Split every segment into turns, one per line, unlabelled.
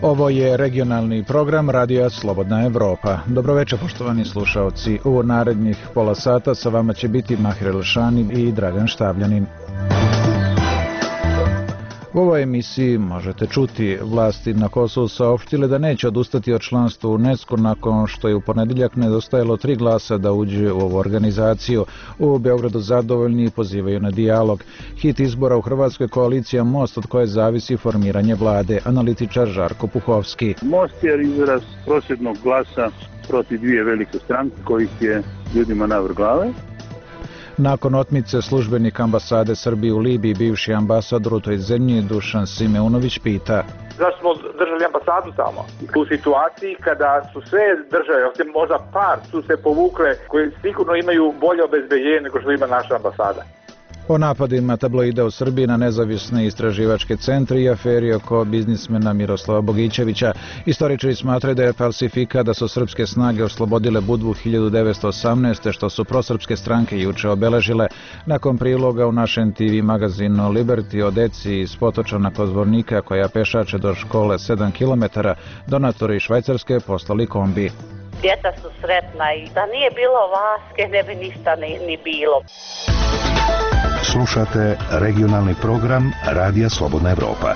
Ovo je regionalni program Radija Slobodna Evropa. Dobroveče, poštovani slušaoci. U narednih pola sata sa vama će biti Mahir Elšani i Dragan Štavljanin. U ovoj emisiji možete čuti, vlasti na Kosovu saopštile da neće odustati od članstva u UNESCO nakon što je u ponedeljak nedostajalo 3 glasa da uđe u ovu organizaciju. U Beogradu zadovoljni i pozivaju na dijalog. Hit izbora u Hrvatskoj koalicija Most, od koje zavisi formiranje vlade. Analitičar Žarko Puhovski.
Most je izraz prosvjednog glasa protiv dvije velike stranke kojih je ljudima navrh glave.
Nakon otmice službenika ambasade Srbije u Libiji, bivši ambasador u toj zemlji Dušan Simeunović pita:
zašto smo držali ambasadu tamo? U situaciji kada su sve države, osim možda par, su se povukle, koje sigurno imaju bolje obezbeđenje nego što ima naša ambasada.
O napadima tabloida u Srbiji na nezavisne istraživačke centre i aferi oko biznismena Miroslava Bogićevića. Istoričari smatraju da je falsifikat da su srpske snage oslobodile Budvu 1918. što su prosrpske stranke juče obeležile. Nakon priloga u našem TV magazinu Liberty o deci iz Potočana kod Zvornika koja pešače do škole 7 km, donatori iz Švajcarske poslali kombi.
Djeca su sretna i da nije bilo Vaske ne bi ništa ni bilo.
Slušate regionalni program Radija Slobodna Evropa.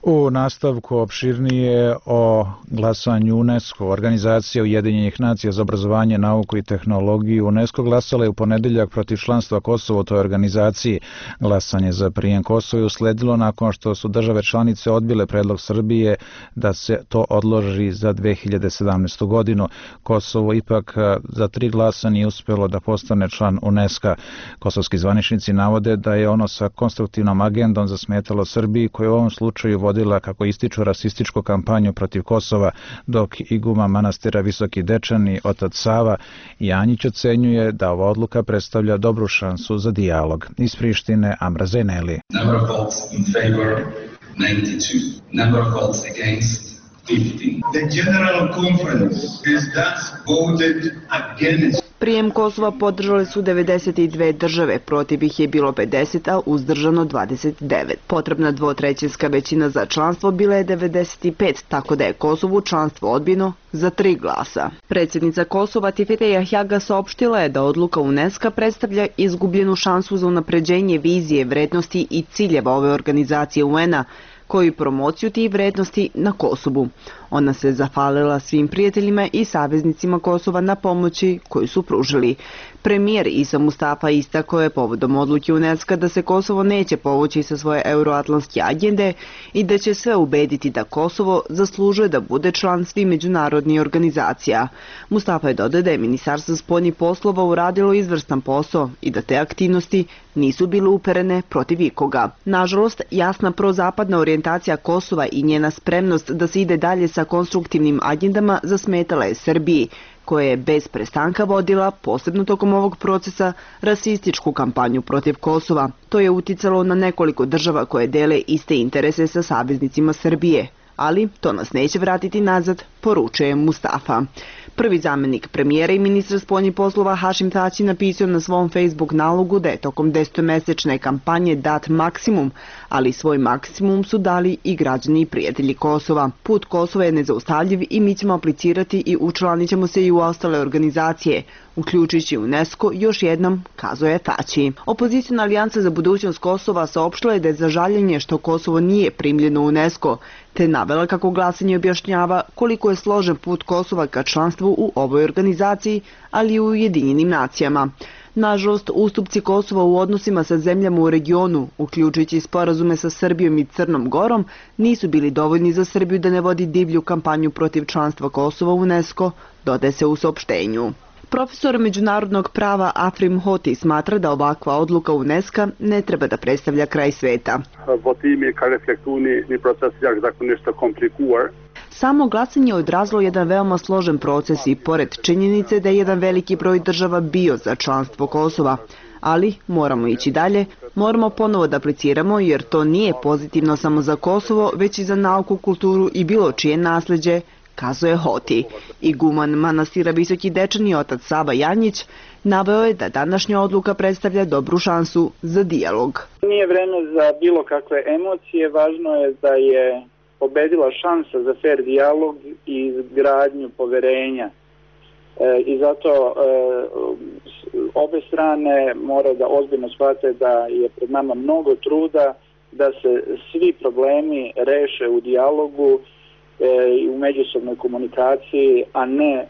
U nastavku opširnije o glasanju UNESCO. Organizacija Ujedinjenih nacija za obrazovanje, nauku i tehnologiju UNESCO glasala je u ponedeljak protiv članstva Kosova u toj organizaciji. Glasanje za prijem Kosova je usledilo nakon što su države članice odbile predlog Srbije da se to odloži za 2017. godinu. Kosovo ipak za 3 glasa nije uspjelo da postane član UNESCO. Kosovski zvaničnici navode da je ono sa konstruktivnom agendom zasmetalo Srbiji, koja u ovom slučaju vodila, kako ističu, rasističku kampanju protiv Kosova, dok iguma manastira Visoki Dečani, otac Sava Janjić, ocenjuje da ova odluka predstavlja dobru šansu za dijalog. Iz Prištine Amra Zeneli.
Number of votes in favor 92. Number of votes against 15.
The General Conference has thus voted against.
Prijem Kosova podržale su 92 države, protiv ih je bilo 50, a uzdržano 29. Potrebna dvotrećinska većina za članstvo bila je 95, tako da je Kosovu članstvo odbijeno za 3 glasa. Predsjednica Kosova Tifete Jahjaga saopštila je da odluka UNESCO predstavlja izgubljenu šansu za unapređenje vizije, vrednosti i ciljeva ove organizacije UN-a, koji promociju tih vrednosti na Kosovu. Ona se zahvalila svim prijateljima i saveznicima Kosova na pomoći koju su pružili. Premijer Isa Mustafa istakao je povodom odluke UNESCO da se Kosovo neće povući sa svoje euroatlantske agende i da će sve ubediti da Kosovo zaslužuje da bude član svih međunarodnih organizacija. Mustafa je dodao da je Ministarstvo spoljnih poslova uradilo izvrstan posao i da te aktivnosti nisu bile uperene protiv ikoga. Nažalost, jasna prozapadna orijentacija Kosova i njena spremnost da se ide dalje sa konstruktivnim agendama zasmetala je Srbiji, koja je bez prestanka vodila, posebno tokom ovog procesa, rasističku kampanju protiv Kosova. To je uticalo na nekoliko država koje dele iste interese sa saveznicima Srbije. Ali to nas neće vratiti nazad, poručuje Mustafa. Prvi zamjenik premijera i ministra spoljnih poslova Hašim Tači napisao na svom Facebook nalogu da je tokom 10-mesečne kampanje dat maksimum, ali svoj maksimum su dali i građani i prijatelji Kosova. Put Kosova je nezaustavljiv i mi ćemo aplicirati i učlanit ćemo se i u ostale organizacije, uključujući UNESCO, još jednom kazuje Tači. Opozicijna alijansa za budućnost Kosova saopštila je da je za žaljenje što Kosovo nije primljeno u UNESCO, te navela kako glasanje objašnjava koliko je složen put Kosova ka članstvu u ovoj organizaciji, ali i u Ujedinjenim nacijama. Nažalost, ustupci Kosova u odnosima sa zemljama u regionu, uključujući sporazume sa Srbijom i Crnom Gorom, nisu bili dovoljni za Srbiju da ne vodi divlju kampanju protiv članstva Kosova u UNESCO, dodaje se u saopštenju. Profesor međunarodnog prava Afrim Hoti smatra da ovakva odluka UNESCO ne treba da predstavlja kraj sveta. Samo glasanje je odrazilo jedan veoma složen proces i pored činjenice da je jedan veliki broj država bio za članstvo Kosova. Ali moramo ići dalje, moramo ponovo da apliciramo jer to nije pozitivno samo za Kosovo, već i za nauku, kulturu i bilo čije nasleđe, kazuje Hoti. Iguman manastira Visoki Dečani otac Sava Janjić naveo je da današnja odluka predstavlja dobru šansu za dijalog.
Nije vreme za bilo kakve emocije, važno je da je pobedila šansa za fair dijalog i izgradnju poverenja. I zato obe strane mora da ozbiljno shvate da je pred nama mnogo truda da se svi problemi reše u dijalogu i u međusobnoj komunikaciji, a ne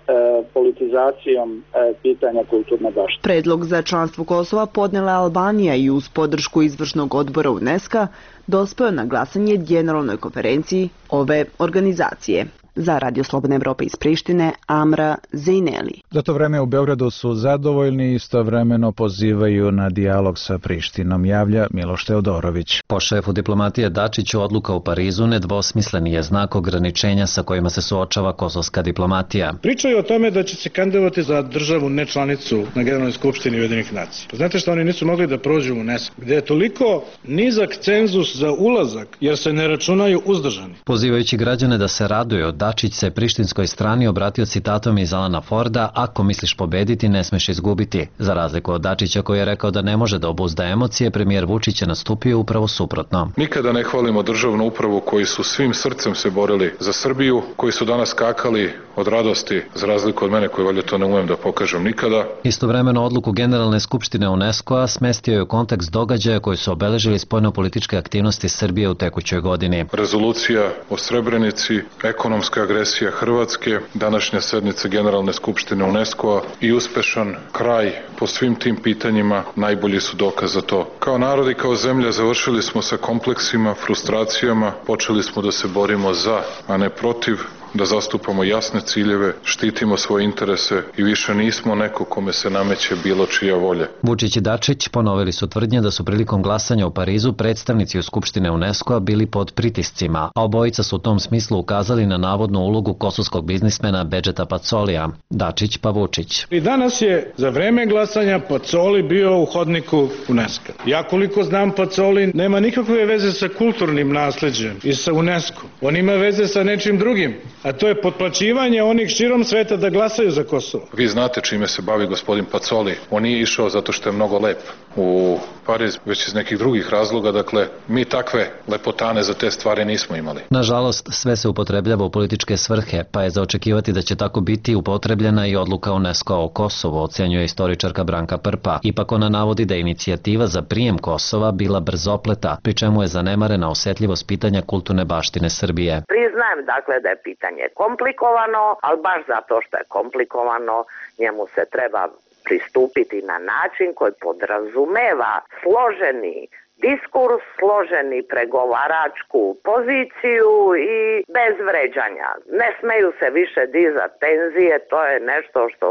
politizacijom pitanja kulturne baštine.
Predlog za članstvo Kosova podnela Albanija i uz podršku izvršnog odbora UNESCO dospeo na glasanje Generalnoj konferenciji ove organizacije. Za Radio Slobodna Evropa iz Prištine, Amra Zejneli.
Za to vreme u Beogradu su zadovoljni i istovremeno pozivaju na dijalog sa Prištinom, javlja Miloš Teodorović.
Po šefu diplomatije Dačiću, odluka u Parizu nedvosmisleni je znak ograničenja sa kojima se suočava kosovska diplomatija.
Pričaju o tome da će se kandidovati za državu nečlanicu na Generalnoj skupštini Ujedinjenih nacija. Znate što oni nisu mogli da prođu u UNESCO, gde je toliko nizak cenzus za ulazak jer se ne računaju uzdržani.
Pozivajući građane da se raduju, Dačić se prištinskoj strani obratio citatom iz Alana Forda: "Ako misliš pobediti, ne smeš izgubiti." Za razliku od Dačića koji je rekao da ne može da obuzda emocije, premijer Vučić je nastupio upravo suprotno.
Nikada ne hvalimo državnu upravu koji su svim srcem se borili za Srbiju, koji su danas skakali od radosti, za razliku od mene koji valjda to ne umem da pokažem nikada.
Istovremeno odluku Generalne skupštine UNESCO-a smestio je u kontekst događaja koji su obeležili spoljnopolitičke aktivnosti Srbije u tekućoj godini.
Rezolucija o Srebrenici, ekonomska agresija Hrvatske, današnja sednica Generalne skupštine UNESCO-a i uspešan kraj po svim tim pitanjima najbolji su dokaz za to. Kao narod i kao zemlja završili smo sa kompleksima, frustracijama, počeli smo da se borimo za, a ne protiv, da zastupamo jasne ciljeve, štitimo svoje interese i više nismo neko kome se nameće bilo čija volja.
Vučić i Dačić ponovili su tvrdnje da su prilikom glasanja u Parizu predstavnici u Skupštine UNESCO-a bili pod pritiscima, a obojica su u tom smislu ukazali na navodnu ulogu kosovskog biznismena Bedžeta Pacolija. Dačić pa Vučić.
I danas je za vreme glasanja Pacoli bio u hodniku UNESCO. Ja koliko znam, Pacoli nema nikakve veze sa kulturnim nasleđem i sa UNESCO. On ima veze sa nečim drugim, a to je potplaćivanje onih širom sveta da glasaju za Kosovo.
Vi znate čime se bavi gospodin Pacoli. On nije išao zato što je mnogo lep u Pariz, već iz nekih drugih razloga. Dakle, mi takve lepotane za te stvari nismo imali.
Nažalost, sve se upotrebljava u političke svrhe, pa je za očekivati da će tako biti upotrebljena i odluka UNESCO o Kosovu, ocenjuje istoričarka Branka Prpa. Ipak ona navodi da je inicijativa za prijem Kosova bila brzopleta, pri čemu je zanemarena osetljivost pitanja kulturne baštine Srbije.
Priznajem dakle da je pitanje komplikovano, ali baš zato što je komplikovano, njemu se treba pristupiti na način koji podrazumeva složeni diskurs, složeni pregovaračku poziciju i bez vređanja. Ne smeju se više dizati tenzije, to je nešto što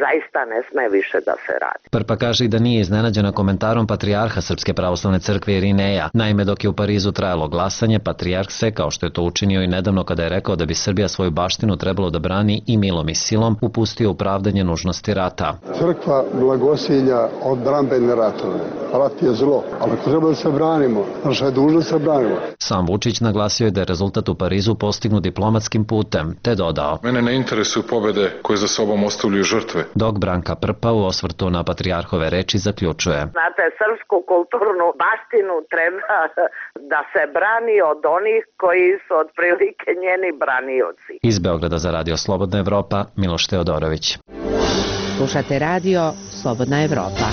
zaista ne sme više da se radi.
Prpa kaže i da nije iznenađena komentarom patrijarha Srpske pravoslavne crkve Irineja. Naime, dok je u Parizu trajalo glasanje, patrijarh se, kao što je to učinio i nedavno kada je rekao da bi Srbija svoju baštinu trebalo da brani i milom i silom, upustio u pravdanje nužnosti rata.
Crkva blagosilja odbrambene ratove. Rat je zlo, ali ako treba da se branimo, naša je dužnost se branimo.
Sam Vučić naglasio je da je rezultat u Parizu postignut diplomatskim putem, te dodao:
"Mene ne interesuju pobede koje za sobom ostavljaju žrtve."
Dok Branka Prpa u osvrtu na patrijarhove reči zaključuje:
Znate, srpsku kulturnu baštinu treba da se brani od onih koji su otprilike njeni branioci.
Iz Beograda za Radio Slobodna Evropa, Miloš Teodorović.
Slušate Radio Slobodna Evropa.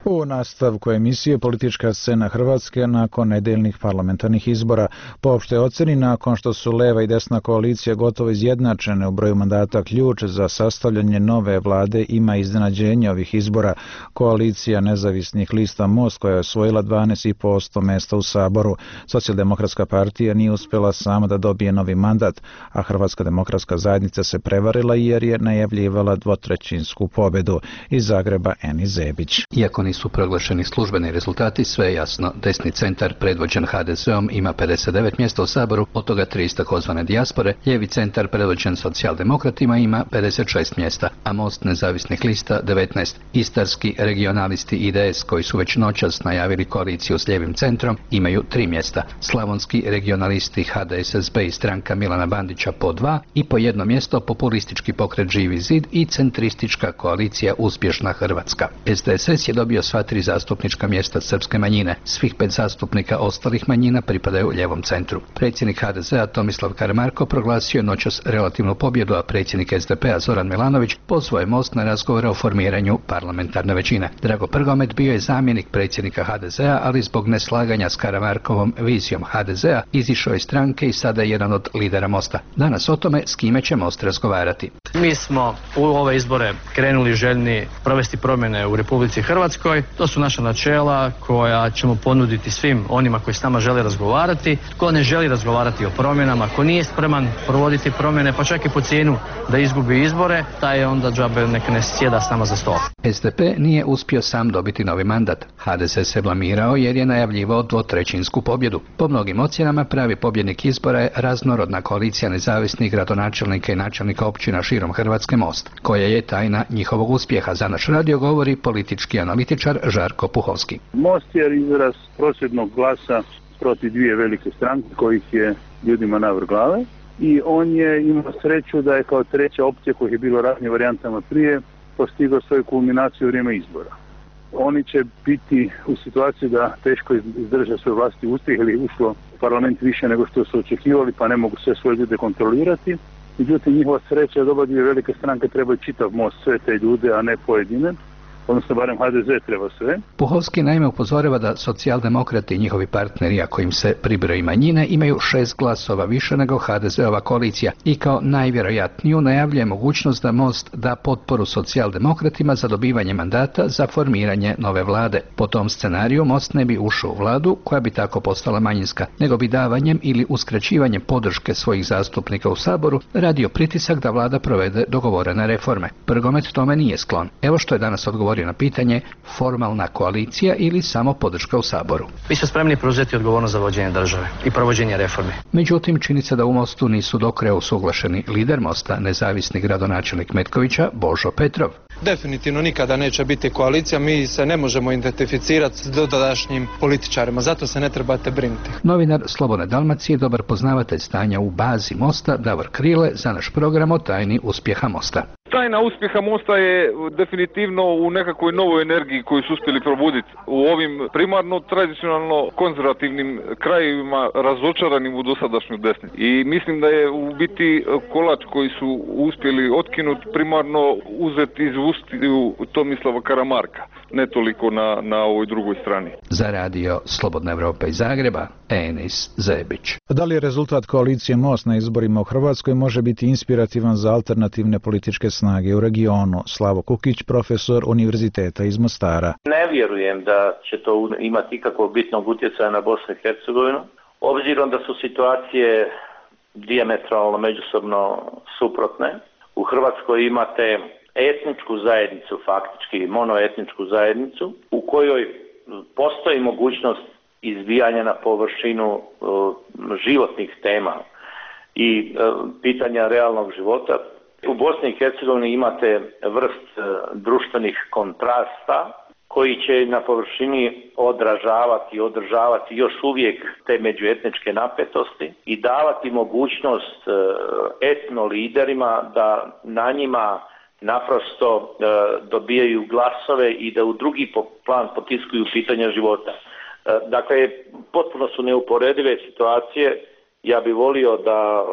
U nastavku emisije politička scena Hrvatske nakon nedeljnih parlamentarnih izbora. Po opštoj oceni, nakon što su leva i desna koalicija gotovo izjednačene u broju mandata, ključ za sastavljanje nove vlade ima iznenađenje ovih izbora. Koalicija nezavisnih lista Most, koja je osvojila 12,5% mesta u Saboru. Socijaldemokratska partija nije uspjela sama da dobije novi mandat, a Hrvatska demokratska zajednica se prevarila jer je najavljivala dvotrećinsku pobedu. Iz Zagreba Eni Zebić.
Iako nisu nisu proglašeni službeni rezultati, sve je jasno. Desni centar, predvođen HDZ-om, ima 59 mjesta u Saboru, od toga 3 iz takozvane dijaspore. Lijevi centar, predvođen socijaldemokratima, ima 56 mjesta, a Most nezavisnih lista 19. Istarski regionalisti IDS, koji su već noćas najavili koaliciju s lijevim centrom, imaju 3 mjesta. Slavonski regionalisti HDSSB i stranka Milana Bandića po 2 i po 1 mjesto populistički pokret Živi zid i centristička koalicija Uspješna Hrvatska. SDSS je dobio sva 3 zastupnička mjesta srpske manjine. Svih 5 zastupnika ostalih manjina pripadaju ljevom centru. Predsjednik HDZ-a Tomislav Karamarko proglasio je noćas relativnu pobjedu, a predsjednik SDP-a Zoran Milanović pozvao je Most na razgovore o formiranju parlamentarne većine. Drago Prgomet bio je zamjenik predsjednika HDZ-a, ali zbog neslaganja s Karamarkovom vizijom HDZ-a izišao iz stranke i sada je jedan od lidera Mosta. Danas o tome s kime će Most razgovarati.
Mi smo u ove izbore krenuli željni provesti promjene u Republici Hrvatskoj. To su naša načela koja ćemo ponuditi svim onima koji s nama žele razgovarati. Tko ne želi razgovarati o promjenama, ko nije spreman provoditi promjene, pa čak i po cijenu da izgubi izbore, taj je onda džabe neka ne sjeda s nama za stol.
SDP nije uspio sam dobiti novi mandat. HDZ se blamirao jer je najavljivao 2/3 pobjedu. Po mnogim ocjenama pravi pobjednik izbora je raznorodna koalicija nezavisnih gradonačelnika i načelnika općina širom Hrvatske Most, koja je tajna njihovog uspjeha. Za naš radio govori politički analitičar Žarko Puhovski.
Most je izraz prosvjednog glasa protiv 2 velike stranke kojih je ljudima navrh glave i on je imao sreću da je kao treća opcija, kojih je bilo raznim varijantama prije, postigao svoju kulminaciju u vrijeme izbora. Oni će biti u situaciji da teško izdrže svoj vlastiti uspjeh ili ušlo u parlament više nego što su očekivali, pa ne mogu sve svoje ljude kontrolirati. Međutim, njihova sreća je da oba 2 velike stranke trebaju čitav Most, sve te ljude, a ne pojedine. Odnosno, barem HDZ treba sve.
Puhovski naime upozorava da socijaldemokrati i njihovi partneri, ako im se pribroji manjine, imaju 6 glasova više nego HDZ-ova koalicija i kao najvjerojatniju najavljuje mogućnost da Most da potporu socijaldemokratima za dobivanje mandata za formiranje nove vlade. Po tom scenariju Most ne bi ušao u vladu koja bi tako postala manjinska, nego bi davanjem ili uskraćivanjem podrške svojih zastupnika u Saboru radio pritisak da vlada provede dogovorene reforme. Prgomet tome nije sklon. Evo što je danas odgovorio na pitanje: formalna koalicija ili samo podrška u Saboru.
Mi smo spremni preuzeti odgovornost za vođenje države i provođenje reforme.
Međutim, čini se da u Mostu nisu do kraja usuglašeni. Lider Mosta, nezavisni gradonačelnik Metkovića, Božo Petrov.
Definitivno nikada neće biti koalicija, mi se ne možemo identificirati s dotadašnjim političarima, zato se ne trebate brinuti.
Novinar Slobodne Dalmacije, dobar poznavatelj stanja u bazi Mosta, Davor Krile, za naš program o tajni uspjeha Mosta.
Tajna uspjeha Mosta je definitivno u nekakvoj novoj energiji koju su uspjeli probuditi u ovim primarno tradicionalno konzervativnim krajevima razočaranim u dosadašnju desnicu. I mislim da je u biti kolač koji su uspjeli otkinuti primarno uzeti iz ustiju Tomislava Karamarka, ne toliko na ovoj drugoj strani.
Za radio Slobodna Evropa iz Zagreba, Enis Zebić.
Da li je rezultat koalicije Most na izborima u Hrvatskoj može biti inspirativan za alternativne političke snage u regionu? Slavo Kukić, profesor Univerziteta iz Mostara.
Ne vjerujem da će to imati ikakvog bitnog utjecaja na Bosnu i Hercegovinu, obzirom da su situacije dijametralno međusobno suprotne. U Hrvatskoj imate etničku zajednicu, faktički monoetničku zajednicu, u kojoj postoji mogućnost izbijanja na površinu životnih tema i pitanja realnog života. U Bosni i Hercegovini imate vrst društvenih kontrasta koji će na površini održavati još uvijek te međuetničke napetosti i davati mogućnost etno liderima da na njima naprosto dobijaju glasove i da u drugi plan potiskuju pitanja života. Dakle, potpuno su neuporedive situacije. Ja bih volio da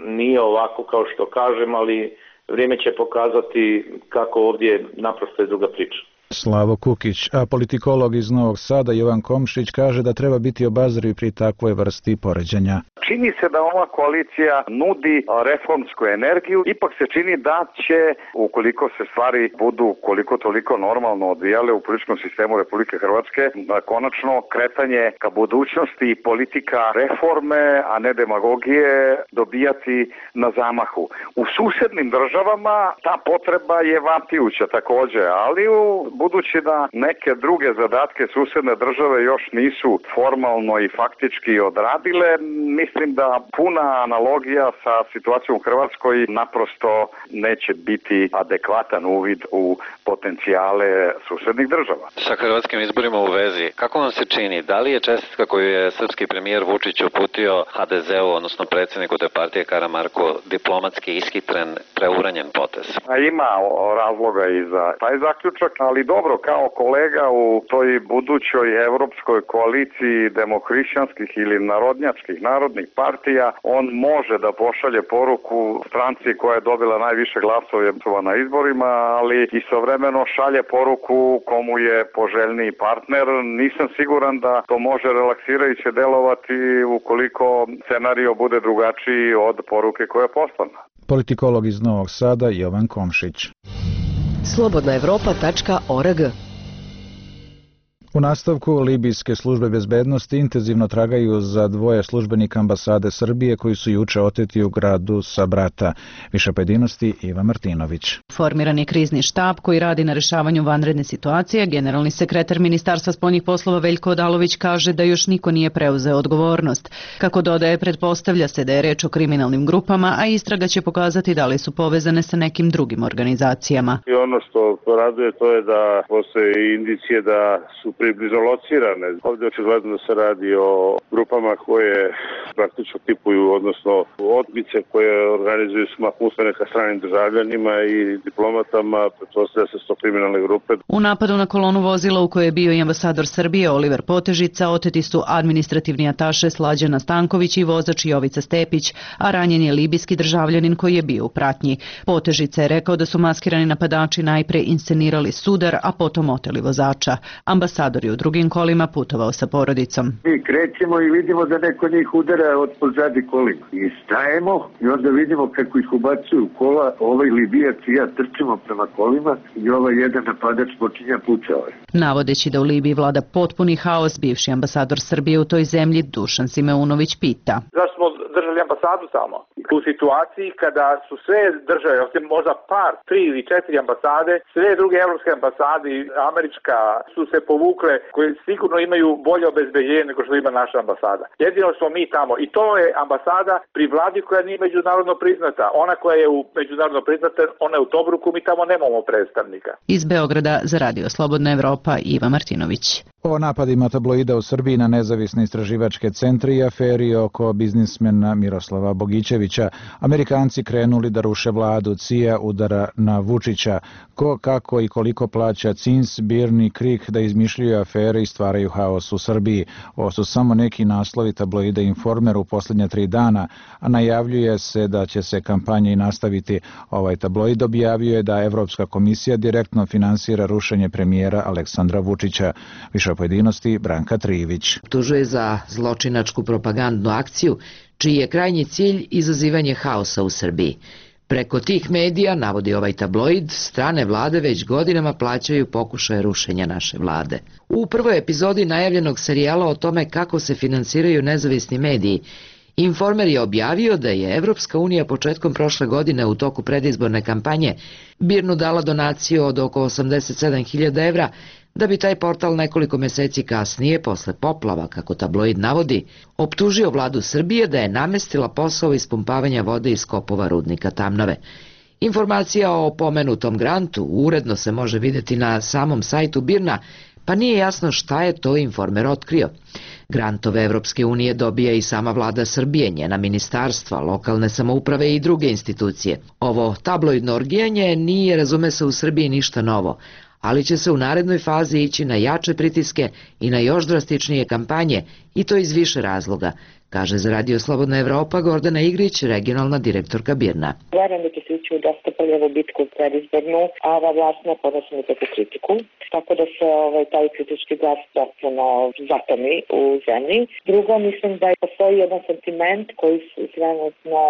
nije ovako kao što kažem, ali vrijeme će pokazati kako ovdje naprosto je druga priča.
Slavo Kukić, a politikolog iz Novog Sada Jovan Komšić kaže da treba biti obazriv pri takvoj vrsti poređenja.
Čini se da ova koalicija nudi reformsku energiju, ipak se čini da će, ukoliko se stvari budu koliko toliko normalno odvijale u političkom sistemu Republike Hrvatske, konačno kretanje ka budućnosti i politika reforme, a ne demagogije, dobijati na zamahu. U susjednim državama ta potreba je vapijuća također, ali u budući da neke druge zadatke susedne države još nisu formalno i faktički odradile, mislim da puna analogija sa situacijom u Hrvatskoj naprosto neće biti adekvatan uvid u potencijale susednih država.
Sa hrvatskim izborima u vezi, kako vam se čini, da li je čestitka koju je srpski premijer Vučić uputio HDZ-u, odnosno predsjedniku te partije Karamarku, diplomatski ishitren, preuranjen potez?
Ima razloga i za taj zaključak, ali dobro, kao kolega u toj budućoj evropskoj koaliciji demohrišćanskih ili narodnih partija, on može da pošalje poruku stranci koja je dobila najviše glasova na izborima, ali istovremeno šalje poruku komu je poželjniji partner. Nisam siguran da to može relaksirajuće delovati ukoliko scenario bude drugačiji od poruke koja je poslana.
Politikolog iz Novog Sada Jovan Komšić.
slobodnaevropa.org.
U nastavku, libijske službe bezbednosti intenzivno tragaju za dvoje službenika ambasade Srbije koji su juče oteti u gradu Sabrata. Više pojedinosti Iva Martinović.
Formiran je krizni štab koji radi na rešavanju vanredne situacije. Generalni sekretar Ministarstva spoljnih poslova Veljko Odalović kaže da još niko nije preuzeo odgovornost. Kako dodaje, pretpostavlja se da je reč o kriminalnim grupama, a istraga će pokazati da li su povezane sa nekim drugim organizacijama.
I ono što raduje to je da postoje indicije da su približno locirane. Ovdje očigledno da se radi o grupama koje praktično tipuju, odnosno odbice koje organizuju smak usmene ka stranim državljanima i diplomatama, pretpostavlja se 100 kriminalne grupe.
U napadu na kolonu vozila u kojoj je bio i ambasador Srbije Oliver Potežica oteti su administrativni ataše Slađana Stanković i vozač Jovica Stepić, a ranjen je libijski državljanin koji je bio u pratnji. Potežica je rekao da su maskirani napadači najpre inscenirali sudar, a potom oteli vozača. Ambasador je u drugim kolima putovao sa porodicom.
Mi krećemo i vidimo da neko njih udara od pozadi kolima. I stajemo i onda vidimo kako ih ubacuju u kola, ovaj Libijac i ja trčimo prema kolima i ovaj jedan napadač počinja pucao.
Navodeći da u Libiji vlada potpuni haos, bivši ambasador Srbije u toj zemlji Dušan Simeunović pita.
Zašto smo držali ambasadu samo? U situaciji kada su sve države, osim možda par, 3 ili 4 ambasade, sve druge evropske ambasade i američka su se povukle, koje sigurno imaju bolje obezbeđenje nego što ima naša ambasada. Jedino smo mi tamo i to je ambasada pri vladi koja nije međunarodno priznata. Ona koja je međunarodno priznata, ona je u Tobruku, mi tamo nemamo predstavnika.
Iz Beograda za Radio Slobodna Evropa Iva Martinović.
O napadima tabloida u Srbiji na nezavisne istraživačke centre i aferi oko biznismena Miroslava Bogićevića, Amerikanci krenuli da ruše vladu, CIA udara na Vučića. Ko, kako i koliko plaća CINS, BIRN i KRIK da izmišljaju afere i stvaraju haos u Srbiji. Ovo su samo neki naslovi tabloida Informer u posljednja 3 dana, a najavljuje se da će se kampanja i nastaviti. Ovaj tabloid objavio je da Evropska komisija direktno finansira rušenje premijera Aleksandra Vučića. Više pojedinosti Branka Trijević.
Optužuje za zločinačku propagandnu akciju, čiji je krajnji cilj izazivanje haosa u Srbiji. Preko tih medija, navodi ovaj tabloid, strane vlade već godinama plaćaju pokušaje rušenja naše vlade. U prvoj epizodi najavljenog serijala o tome kako se finansiraju nezavisni mediji, Informer je objavio da je Evropska unija početkom prošle godine u toku predizborne kampanje BIRN-u dala donaciju od oko 87.000 evra, da bi taj portal nekoliko meseci kasnije, posle poplava, kako tabloid navodi, optužio vladu Srbije da je namestila posao ispumpavanja vode iz kopova rudnika Tamnave. Informacija o pomenutom grantu uredno se može vidjeti na samom sajtu BIRN-a, pa nije jasno šta je to Informer otkrio. Grantove Evropske unije dobija i sama vlada Srbije, njena ministarstva, lokalne samouprave i druge institucije. Ovo tabloidno orgijanje nije, razume se, u Srbiji ništa novo, ali će se u narednoj fazi ići na jače pritiske i na još drastičnije kampanje, i to iz više razloga, kaže za Radio Slobodna Evropa Gordana Igrić, regionalna direktorka BIRN-a.
Verujem da će se ići u dosta prljavu bitku predizbornu, a ova vlast ne podnosi nikakvu kritiku, tako da se taj kritički glas potpuno zatomi u zemlji. Drugo, mislim da postoji jedan sentiment koji se trenutno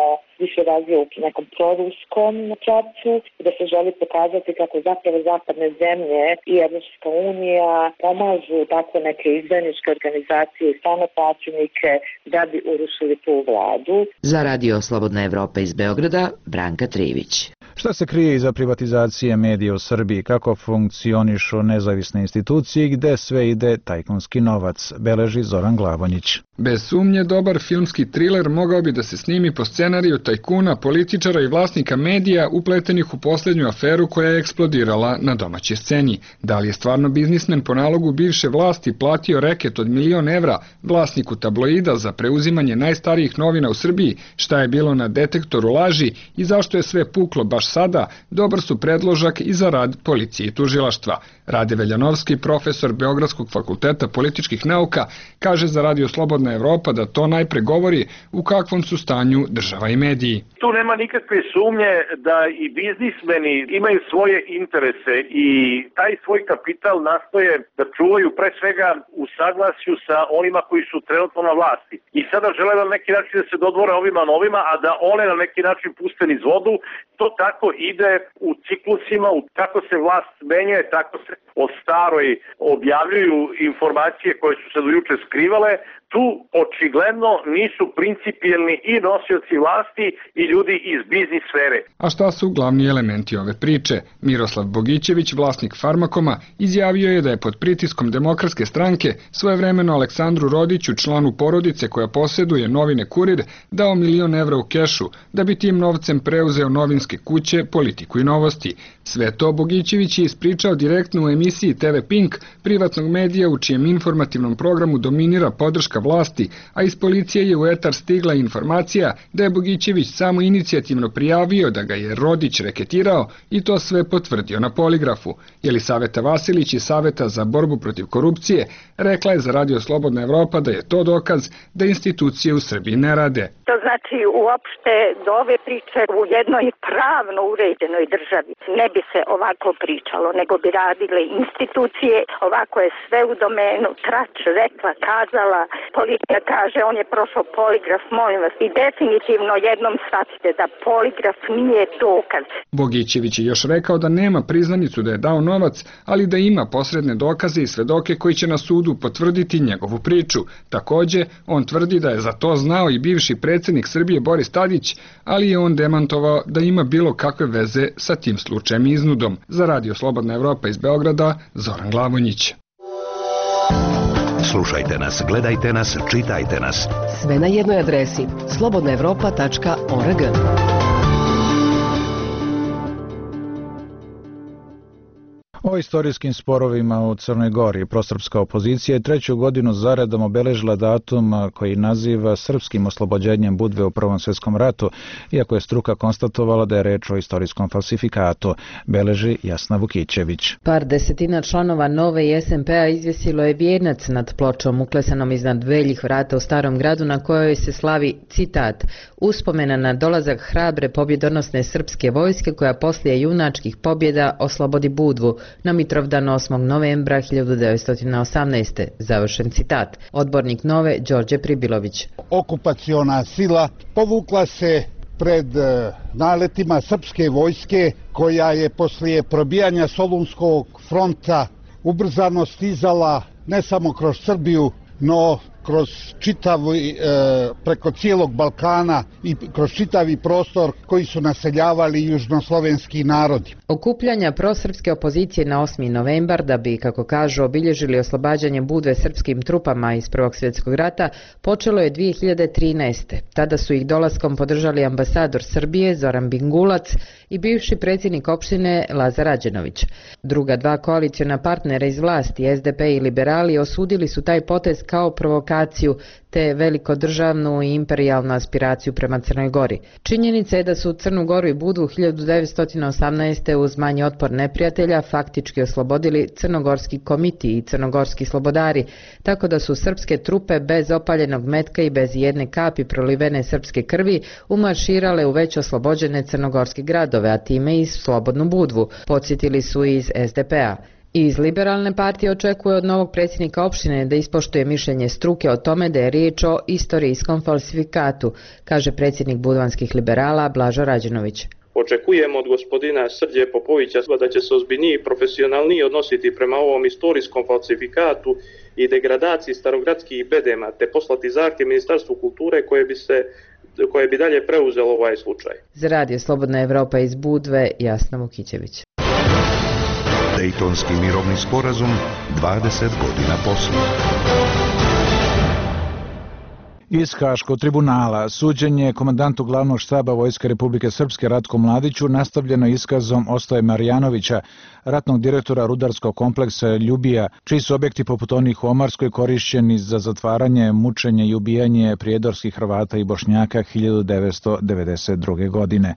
više razvija u nekom proruskom pravcu, da se želi pokazati kako zapravo zapadne zemlje i Evropska unija pomažu takve neke izdajničke organizacije i samoplaćenike da bi urušili tu vladu.
Za Radio Slobodna Evropa iz Beograda, Branka Trijević.
Šta se krije iza privatizacije medija u Srbiji, kako funkcionišu nezavisne institucije i gde sve ide tajkunski novac, beleži Zoran Glavonjić.
Bez sumnje, dobar filmski triler mogao bi da se snimi po scenariju tajkuna, političara i vlasnika medija upletenih u posljednju aferu koja je eksplodirala na domaćoj sceni. Da li je stvarno biznismen po nalogu bivše vlasti platio reket od 1.000.000 evra vlasniku tabloida za preuzimanje najstarijih novina u Srbiji, šta je bilo na detektoru laži i zašto je sve puklo baš sada, dobar su predložak i za rad policije i tužilaštva. Rade Veljanovski, profesor Beogradskog fakulteta političkih nauka, kaže za Radio Slobodna Evropa da to najpre govori u kakvom su stanju država i mediji.
Tu nema nikakve sumnje da i biznismeni imaju svoje interese i taj svoj kapital nastoje da čuvaju pre svega u saglasju sa onima koji su trenutno na vlasti. I sada žele na neki način da se dodvore ovima novima, a da one na neki način puste niz vodu. To tako ide u ciklusima, kako se vlast menjuje, tako se o staroj objavljuju informacije koje su se do juče skrivale. Tu očigledno nisu principijelni i nosioci vlasti i ljudi iz biznis sfere.
A šta su glavni elementi ove priče? Miroslav Bogićević, vlasnik Farmakoma, izjavio je da je pod pritiskom Demokratske stranke svojevremeno Aleksandru Rodiću, članu porodice koja posjeduje novine Kurir, dao 1.000.000 evra u kešu, da bi tim novcem preuzeo novinske kuće, Politiku i Novosti. Sve to Bogićević je ispričao direktno u emisiji TV Pink, privatnog medija u čijem informativnom programu dominira podrška vlasti, a iz policije je u etar stigla informacija da je Bogićević samo inicijativno prijavio da ga je Rodić reketirao i to sve potvrdio na poligrafu. Jelisaveta Vasilić iz Saveta za borbu protiv korupcije rekla je za Radio Slobodna Evropa da je to dokaz da institucije u Srbiji ne rade.
To znači uopšte do ove priče u jednoj pravno uređenoj državi ne bi se ovako pričalo, nego bi radile institucije. Ovako je sve u domenu trač, rekla, kazala, policija kaže on je prošao poligraf, molim vas. I definitivno jednom shvatite da poligraf nije dokaz.
Bogićević je još rekao da nema priznanicu da je dao novac, ali da ima posredne dokaze i svedoke koji će na sudu potvrditi njegovu priču. Takođe, on tvrdi da je za to znao i bivši predsjednik Srbije Boris Tadić, ali je on demantovao da ima bilo kakve veze sa tim slučajem i iznudom. Za Radio Slobodna Evropa iz Beograda, Zoran Glavonjić.
Slušajte nas, gledajte nas, čitajte nas.
Sve na jednoj adresi slobodnaevropa.org.
O istorijskim sporovima u Crnoj Gori prosrpska opozicija je 3. godinu zaredom obeležila datum koji naziva srpskim oslobođenjem Budve u Prvom svjetskom ratu, iako je struka konstatovala da je reč o istorijskom falsifikatu, beleži Jasna Vukićević.
Par desetina članova Nove i SMP-a izvjesilo je vijenac nad pločom uklesanom iznad veljih vrata u Starom gradu na kojoj se slavi, citat, uspomena na dolazak hrabre pobjedonosne srpske vojske koja poslije junačkih pobjeda oslobodi Budvu na Mitrovdan 8. novembra 1918. Završen citat. Odbornik Nove Đorđe Pribilović.
Okupaciona sila povukla se pred naletima srpske vojske koja je poslije probijanja Solunskog fronta ubrzano stizala ne samo kroz Srbiju, no kroz preko cijelog Balkana i kroz čitavi prostor koji su naseljavali južnoslovenski narodi.
Okupljanja prosrpske opozicije na 8. novembar da bi, kako kažu, obilježili oslobađanje Budve srpskim trupama iz Prvog svjetskog rata počelo je 2013. Tada su ih dolaskom podržali ambasador Srbije Zoran Bingulac i bivši predsjednik opštine Lazar Rađenović. Druga dva koaliciona partnera iz vlasti, SDP i liberali, osudili su taj potez kao provokaciju te velikodržavnu i imperijalnu aspiraciju prema Crnoj Gori. Činjenica je da su Crnu Goru i Budvu 1918. uz manji otpor neprijatelja faktički oslobodili crnogorski komiti i crnogorski slobodari, tako da su srpske trupe bez opaljenog metka i bez jedne kapi prolivene srpske krvi umarširale u već oslobođene crnogorske gradove, a time i slobodnu Budvu, podsjetili su iz SDP-a. Iz Liberalne partije očekuje od novog predsjednika opštine da ispoštuje mišljenje struke o tome da je riječ o istorijskom falsifikatu, kaže predsjednik budvanskih liberala Blažo Rađenović.
Očekujemo od gospodina Srđe Popovića da će se ozbiljnije i profesionalnije odnositi prema ovom istorijskom falsifikatu i degradaciji starogradskih bedema, te poslati zahtjev Ministarstvu kulture koje bi se koje bi dalje preuzelo ovaj slučaj.
Za Radio Slobodna Evropa iz Budve, Jasna Vukićević.
Dejtonski mirovni sporazum 20 godina poslije.
Iz Haškog tribunala suđenje komandantu glavnog štaba Vojske Republike Srpske Ratku Mladiću nastavljeno iskazom Ostoje Marjanovića, ratnog direktora rudarskog kompleksa Ljubija, čiji su objekti poput onih u Omarskoj korišćeni za zatvaranje, mučenje i ubijanje prijedorskih Hrvata i Bošnjaka 1992. godine.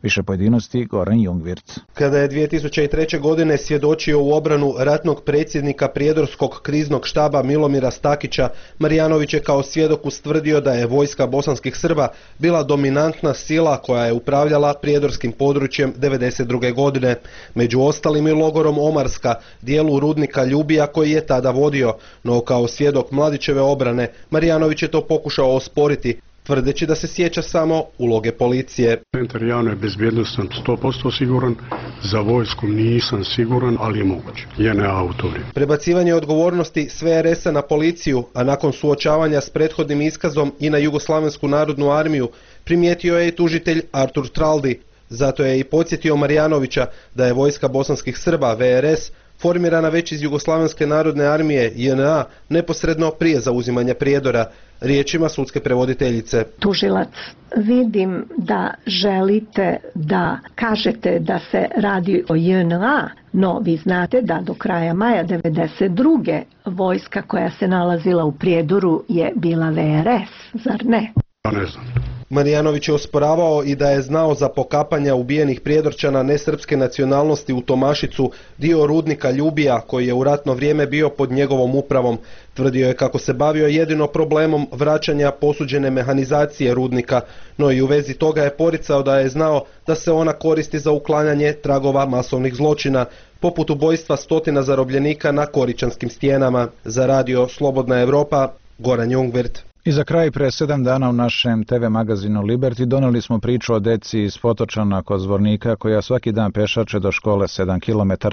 Više pojedinosti Goran Jungvirt.
Kada je 2003. godine svjedočio u obranu ratnog predsjednika prijedorskog kriznog štaba Milomira Stakića, Marjanović je kao svjedok ustvrdio da je vojska bosanskih Srba bila dominantna sila koja je upravljala prijedorskim područjem 1992. godine, među ostalim i logorom Omarska, dijelu rudnika Ljubija koji je tada vodio, no kao svjedok Mladićeve obrane Marjanović je to pokušao osporiti, tvrdeći da se sjeća samo uloge policije.
Centar javne bezbjednosti sam 100% siguran, za vojsku nisam siguran, ali je moguće. JNA autori.
Prebacivanje odgovornosti sve RS-a na policiju, a nakon suočavanja s prethodnim iskazom i na Jugoslavensku narodnu armiju, primijetio je i tužitelj Artur Traldi. Zato je i podsjetio Marjanovića da je vojska bosanskih Srba, VRS, formirana već iz Jugoslavenske narodne armije, JNA, neposredno prije zauzimanja Prijedora, riječima sudske prevoditeljice.
Tužilac, vidim da želite da kažete da se radi o JNA, no vi znate da do kraja maja 1992. vojska koja se nalazila u Prijedoru je bila VRS, zar ne?
Ja ne znam.
Marjanović je osporavao i da je znao za pokapanja ubijenih Prijedorčana nesrpske nacionalnosti u Tomašicu, dio rudnika Ljubija koji je u ratno vrijeme bio pod njegovom upravom. Tvrdio je kako se bavio jedino problemom vraćanja posuđene mehanizacije rudnika, no i u vezi toga je poricao da je znao da se ona koristi za uklanjanje tragova masovnih zločina, poput ubojstva stotina zarobljenika na Koričanskim stijenama. Za Radio Slobodna Evropa, Goran Jungvirt.
I za kraj, pre 7 dana u našem TV magazinu Liberty doneli smo priču o deci iz Potočana kod Zvornika koja svaki dan pešače do škole 7 km.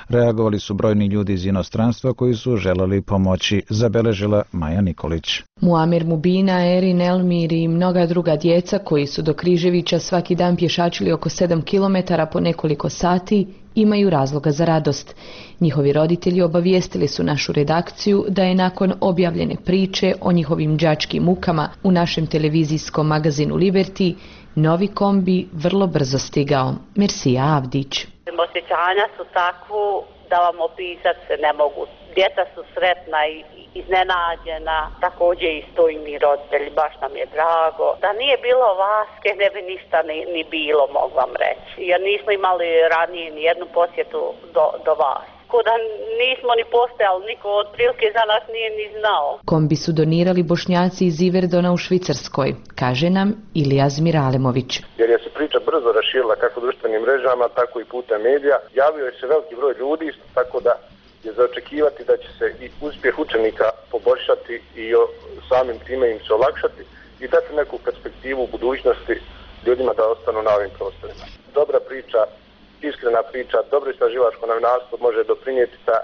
Reagovali su brojni ljudi iz inostranstva koji su želeli pomoći, zabeležila Maja Nikolić.
Muamir Mubina, Erin, Elmir i mnoga druga djeca koji su do Križevića svaki dan pješačili oko 7 km po nekoliko sati imaju razloga za radost. Njihovi roditelji obavijestili su našu redakciju da je nakon objavljene priče o njihovim đačkim mukama u našem televizijskom magazinu Liberty novi kombi vrlo brzo stigao. Mersija Avdić.
Osjećanja su takvu da vam opisat se ne mogu. Djeca su sretna i iznenađena, također i stoji mi roditelji, baš nam je drago. Da nije bilo Vaske, ne bi ništa ni bilo, mogu vam reći. Jer nismo imali ranije ni jednu posjetu do vas. Da nismo ni postojali, niko otprilike za nas nije ni znao.
Kombi su donirali Bošnjaci iz Iverdona u Švicarskoj, kaže nam Ilija Zmiralemović.
Jer je se priča brzo raširila kako društvenim mrežama, tako i putem medija. Javio je se veliki broj ljudi, tako da je za očekivati da će se i uspjeh učenika poboljšati i samim time im se olakšati i dati neku perspektivu u budućnosti ljudima da ostanu na ovim prostorima. Dobra priča, iskrena priča, dobro istraživačko novinarstvo može doprinijeti da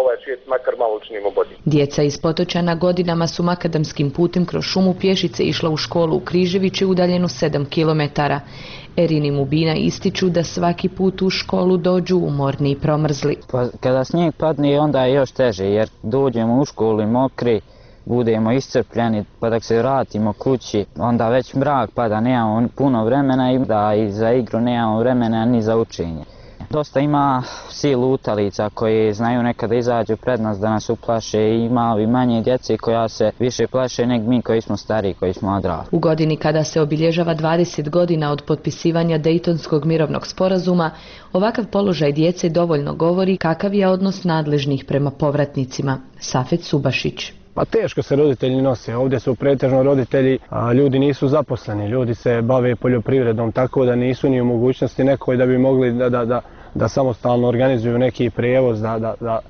ovaj svijet makar malo učinimo bolji.
Djeca iz Potočana godinama su makadamskim putem kroz šumu pješice išla u školu u Križevići udaljenu 7 km. Erin i Mubina ističu da svaki put u školu dođu umorni i promrzli.
Kada snijeg padne onda je još teže jer dođemo u školu i mokri, budemo iscrpljeni pa dok se vratimo kući onda već mrak pada, nemamo puno vremena i da i za igru nemamo vremena ni za učenje. Dosta ima silu lutalica koji znaju nekada izađu pred nas da nas uplaše i ima i manje djece koja se više plaše nego mi koji smo stariji, koji smo odrasli.
U godini kada se obilježava 20 godina od potpisivanja Dejtonskog mirovnog sporazuma, ovakav položaj djece dovoljno govori kakav je odnos nadležnih prema povratnicima. Safet Subašić.
Pa teško se roditelji nose, ovdje su pretežno roditelji, a ljudi nisu zaposleni, ljudi se bave poljoprivredom, tako da nisu ni u mogućnosti nekoj da bi mogli da samostalno organizuju neki prijevoz,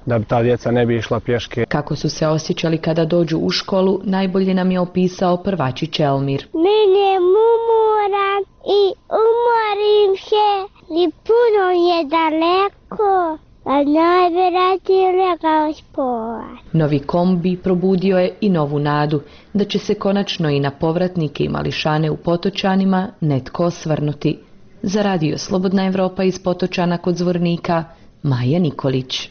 da ta djeca ne bi išla pješke.
Kako su se osjećali kada dođu u školu, najbolje nam je opisao prvačić Elmir.
Mene umoram i umorim se i puno je daleko, a najvjerojatnije legao spovat.
Novi kombi probudio je i novu nadu da će se konačno i na povratnike i mališane u Potočanima netko osvrnuti. Za radio Slobodna Evropa iz Potočana kod Zvornika, Maja Nikolić.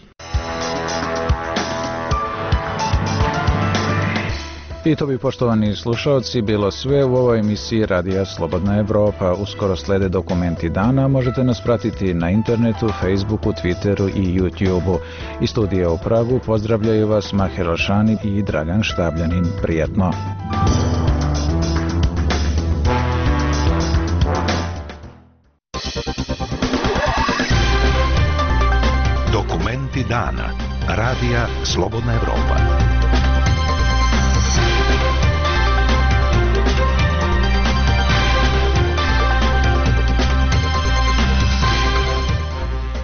I to bi, poštovani slušalci, bilo sve u ovoj emisiji Radija Slobodna Evropa. Uskoro slede dokumenti dana, možete nas pratiti na internetu, Facebooku, Twitteru i YouTubeu. Iz studija u Pragu pozdravljaju vas Maher Alšani i Dragan Štabljanin. Prijatno!
Dokumenti dana. Radija Slobodna Evropa.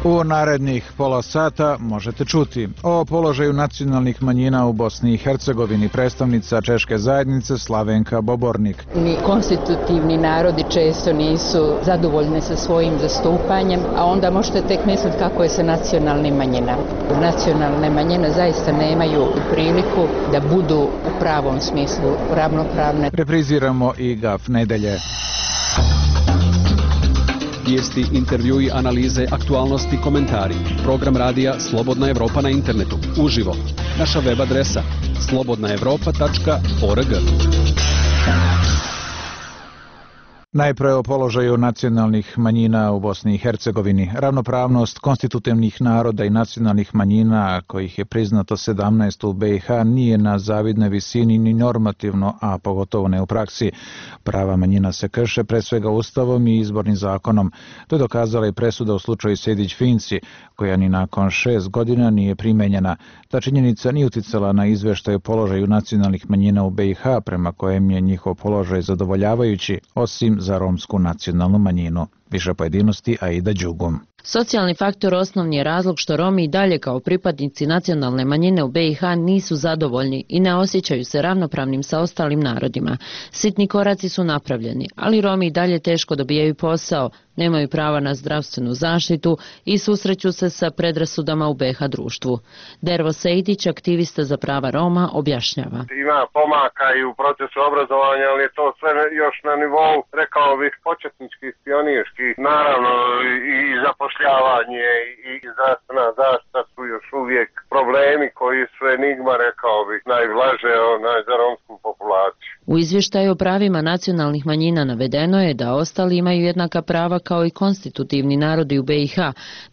U narednih pola sata možete čuti o položaju nacionalnih manjina u Bosni i Hercegovini predstavnica Češke zajednice Slavenka Bobornik.
Ni konstitutivni narodi često nisu zadovoljni sa svojim zastupanjem, a onda možete tek misliti kako je sa nacionalnim manjinama. Nacionalne manjine zaista nemaju priliku da budu u pravom smislu ravnopravne.
Repriziramo i GAF nedelje.
Vijesti, intervjui, analize, aktualnosti, komentari. Program radija Slobodna Evropa na internetu. Uživo. Naša web adresa slobodnaevropa.org.
Najpre o položaju nacionalnih manjina u Bosni i Hercegovini. Ravnopravnost konstitutivnih naroda i nacionalnih manjina, kojih je priznato 17 u BiH, nije na zavidnoj visini ni normativno, a pogotovo ne u praksi. Prava manjina se krše pre svega Ustavom i izbornim zakonom. To je dokazala i presuda u slučaju Sejdić-Finci, koja ni nakon 6 godina nije primenjena. Ta činjenica nije uticala na izveštaj o položaju nacionalnih manjina u BiH, prema kojem je njihov položaj zadovoljavajući, osim za romsku nacionalnu manjinu. Više pojedinosti Aida Đugum.
Socijalni faktor osnovni je razlog što Romi i dalje kao pripadnici nacionalne manjine u BiH nisu zadovoljni i ne osjećaju se ravnopravnim sa ostalim narodima. Sitni koraci su napravljeni, ali Romi i dalje teško dobijaju posao, nemaju prava na zdravstvenu zaštitu i susreću se sa predrasudama u BiH društvu. Dervo Sejdić, aktivista za prava Roma, objašnjava.
Ima pomaka i u procesu obrazovanja, ali je to sve još na nivou, rekao bih, početničkih, pionirskih. Naravno i zapošljavanje i zdravstvena zaštita su još uvijek problemi koji su enigma, rekao bih, najblaže za romsku populaciju.
U izvještaju o pravima nacionalnih manjina navedeno je da ostali imaju jednaka prava kao i konstitutivni narodi u BiH.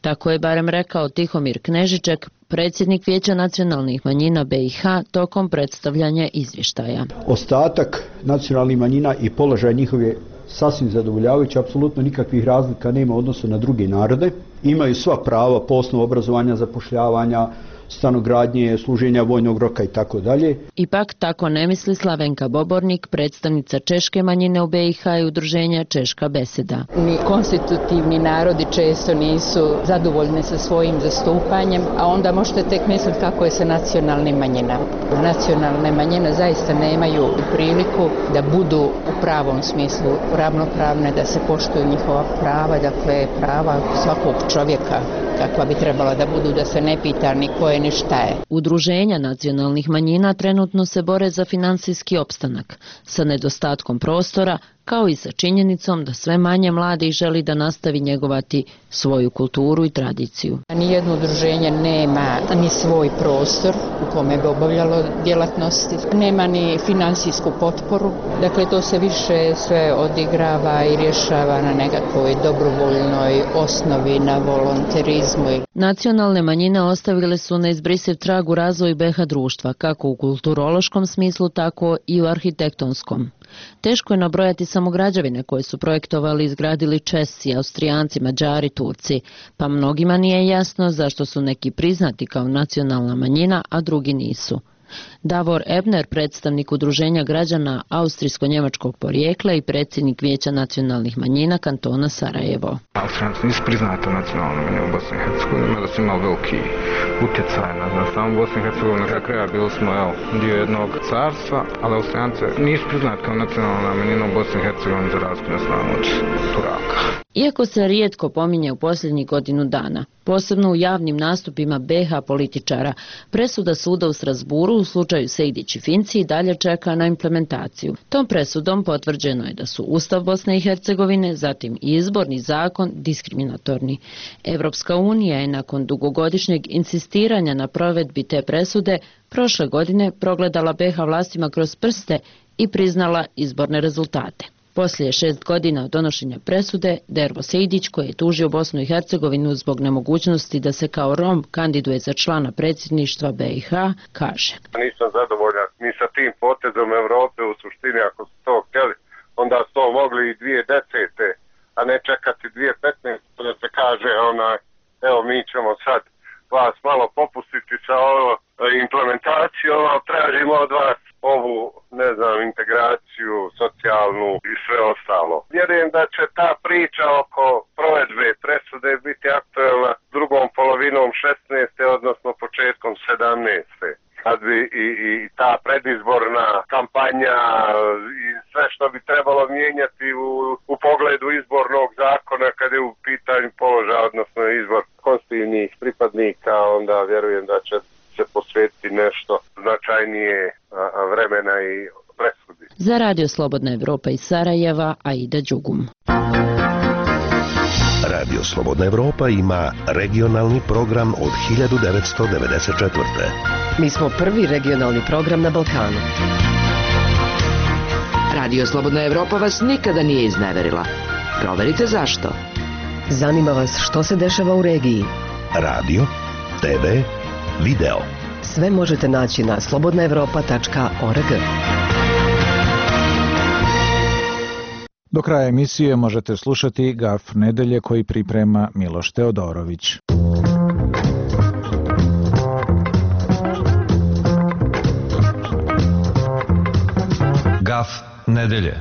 Tako je barem rekao Tihomir Knežiček, predsjednik Vijeća nacionalnih manjina BiH, tokom predstavljanja izvještaja.
Ostatak nacionalnih manjina i položaj njihove sasvim zadovoljavajući, apsolutno nikakvih razlika nema u odnosu na druge narode. Imaju sva prava po osnovu obrazovanja, zapošljavanja, stanogradnje, služenja vojnog roka i tako dalje.
Ipak tako ne misli Slavenka Bobornik, predstavnica češke manjine u BiH i udruženja Češka beseda.
Ni konstitutivni narodi često nisu zadovoljni sa svojim zastupanjem, a onda možete tek misliti kako je sa nacionalnim manjinama. Nacionalne manjine zaista nemaju priliku da budu u pravom smislu ravnopravne, da se poštuju njihova prava, dakle prava svakog čovjeka kakva bi trebala da budu, da se ne pita ni ko je ni šta je.
Udruženja nacionalnih manjina trenutno se bore za finansijski opstanak, sa nedostatkom prostora, kao i sa činjenicom da sve manje mladih želi da nastavi njegovati svoju kulturu i tradiciju.
Nijedno udruženje nema ni svoj prostor u kome bi obavljalo djelatnosti, nema ni finansijsku potporu, dakle to se više sve odigrava i rješava na nekakvoj dobrovoljnoj osnovi, na volonterizmu.
Nacionalne manjine ostavile su neizbrisiv trag u razvoju BiH društva, kako u kulturološkom smislu, tako i u arhitektonskom. Teško je nabrojati samo građevine koje su projektovali i izgradili Česi, Austrijanci, Mađari, Turci, pa mnogima nije jasno zašto su neki priznati kao nacionalna manjina, a drugi nisu. Davor Ebner, predstavnik udruženja građana austrijsko-njemačkog porijekla i predsjednik Vijeća nacionalnih manjina kantona Sarajevo.
Austrijanci nisu priznati nacionalne manjine u Bosni i Hercegovini, da su imali veliki utjecaj na samu Bosni i Hercegovini. Na kraju bili smo dio jednog carstva, ali Austrijanci nisu priznati kao nacionalna manjina u Bosni i Hercegovini za razliku od Turaka.
Iako se rijetko pominje u posljednjih godinu dana, posebno u javnim nastupima BiH političara, presuda suda u Strasburu u slučaju Sejdić i Finci i dalje čeka na implementaciju. Tom presudom potvrđeno je da su Ustav Bosne i Hercegovine, zatim i izborni zakon diskriminatorni. Evropska unija je nakon dugogodišnjeg insistiranja na provedbi te presude prošle godine progledala BiH vlastima kroz prste i priznala izborne rezultate. Poslije 6 godina od donošenja presude, Dervo Sejdić, koji je tužio Bosnu i Hercegovinu zbog nemogućnosti da se kao Rom kandiduje za člana predsjedništva BiH, kaže:
Nisam zadovoljan ni sa tim potezom Evrope, u suštini ako su to htjeli, onda su to mogli i 2010. a ne čekati 2015. da se kaže evo mi ćemo sad vas malo popustiti sa implementacijom, a tražimo od vas ovu, integraciju, socijalnu i sve ostalo. Vjerujem da će ta priča oko provedbe presude biti aktuelna drugom polovinom 16. odnosno početkom 17. Kad bi i ta predizborna kampanja i sve što bi trebalo mijenjati u pogledu izbornog zakona kad je u pitanju položaja, odnosno izbor konstitutivnih pripadnika, onda vjerujem da će se posvetiti nešto značajnije vremena i presudi.
Za Radio Slobodna Evropa iz Sarajeva, Aida Đugum.
Radio Slobodna Evropa ima regionalni program od 1994.
Mi smo prvi regionalni program na Balkanu. Radio Slobodna Evropa vas nikada nije izneverila. Proverite zašto. Zanima vas što se dešava u regiji.
Radio, TV, video.
Sve možete naći na slobodnaevropa.org.
Do kraja emisije možete slušati Gaf nedelje koji priprema Miloš Teodorović.
Gaf nedelje.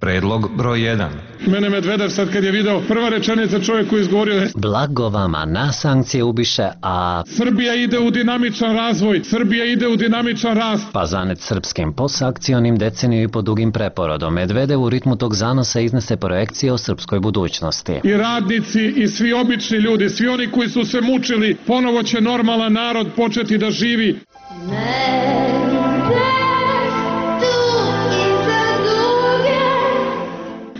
Predlog broj 1.
Mene Medvedev sad kad je video, prva rečenica čovjeku izgovorio je:
blago vama, na sankcije ubiše, a
Srbija ide u dinamičan razvoj, Srbija ide u dinamičan rast.
Pa zanet srpskim posakcionim deceniju i po dugim preporodom. Medvedev u ritmu tog zanosa iznese projekcije o srpskoj budućnosti.
I radnici i svi obični ljudi, svi oni koji su se mučili, ponovo će normalan narod početi da živi.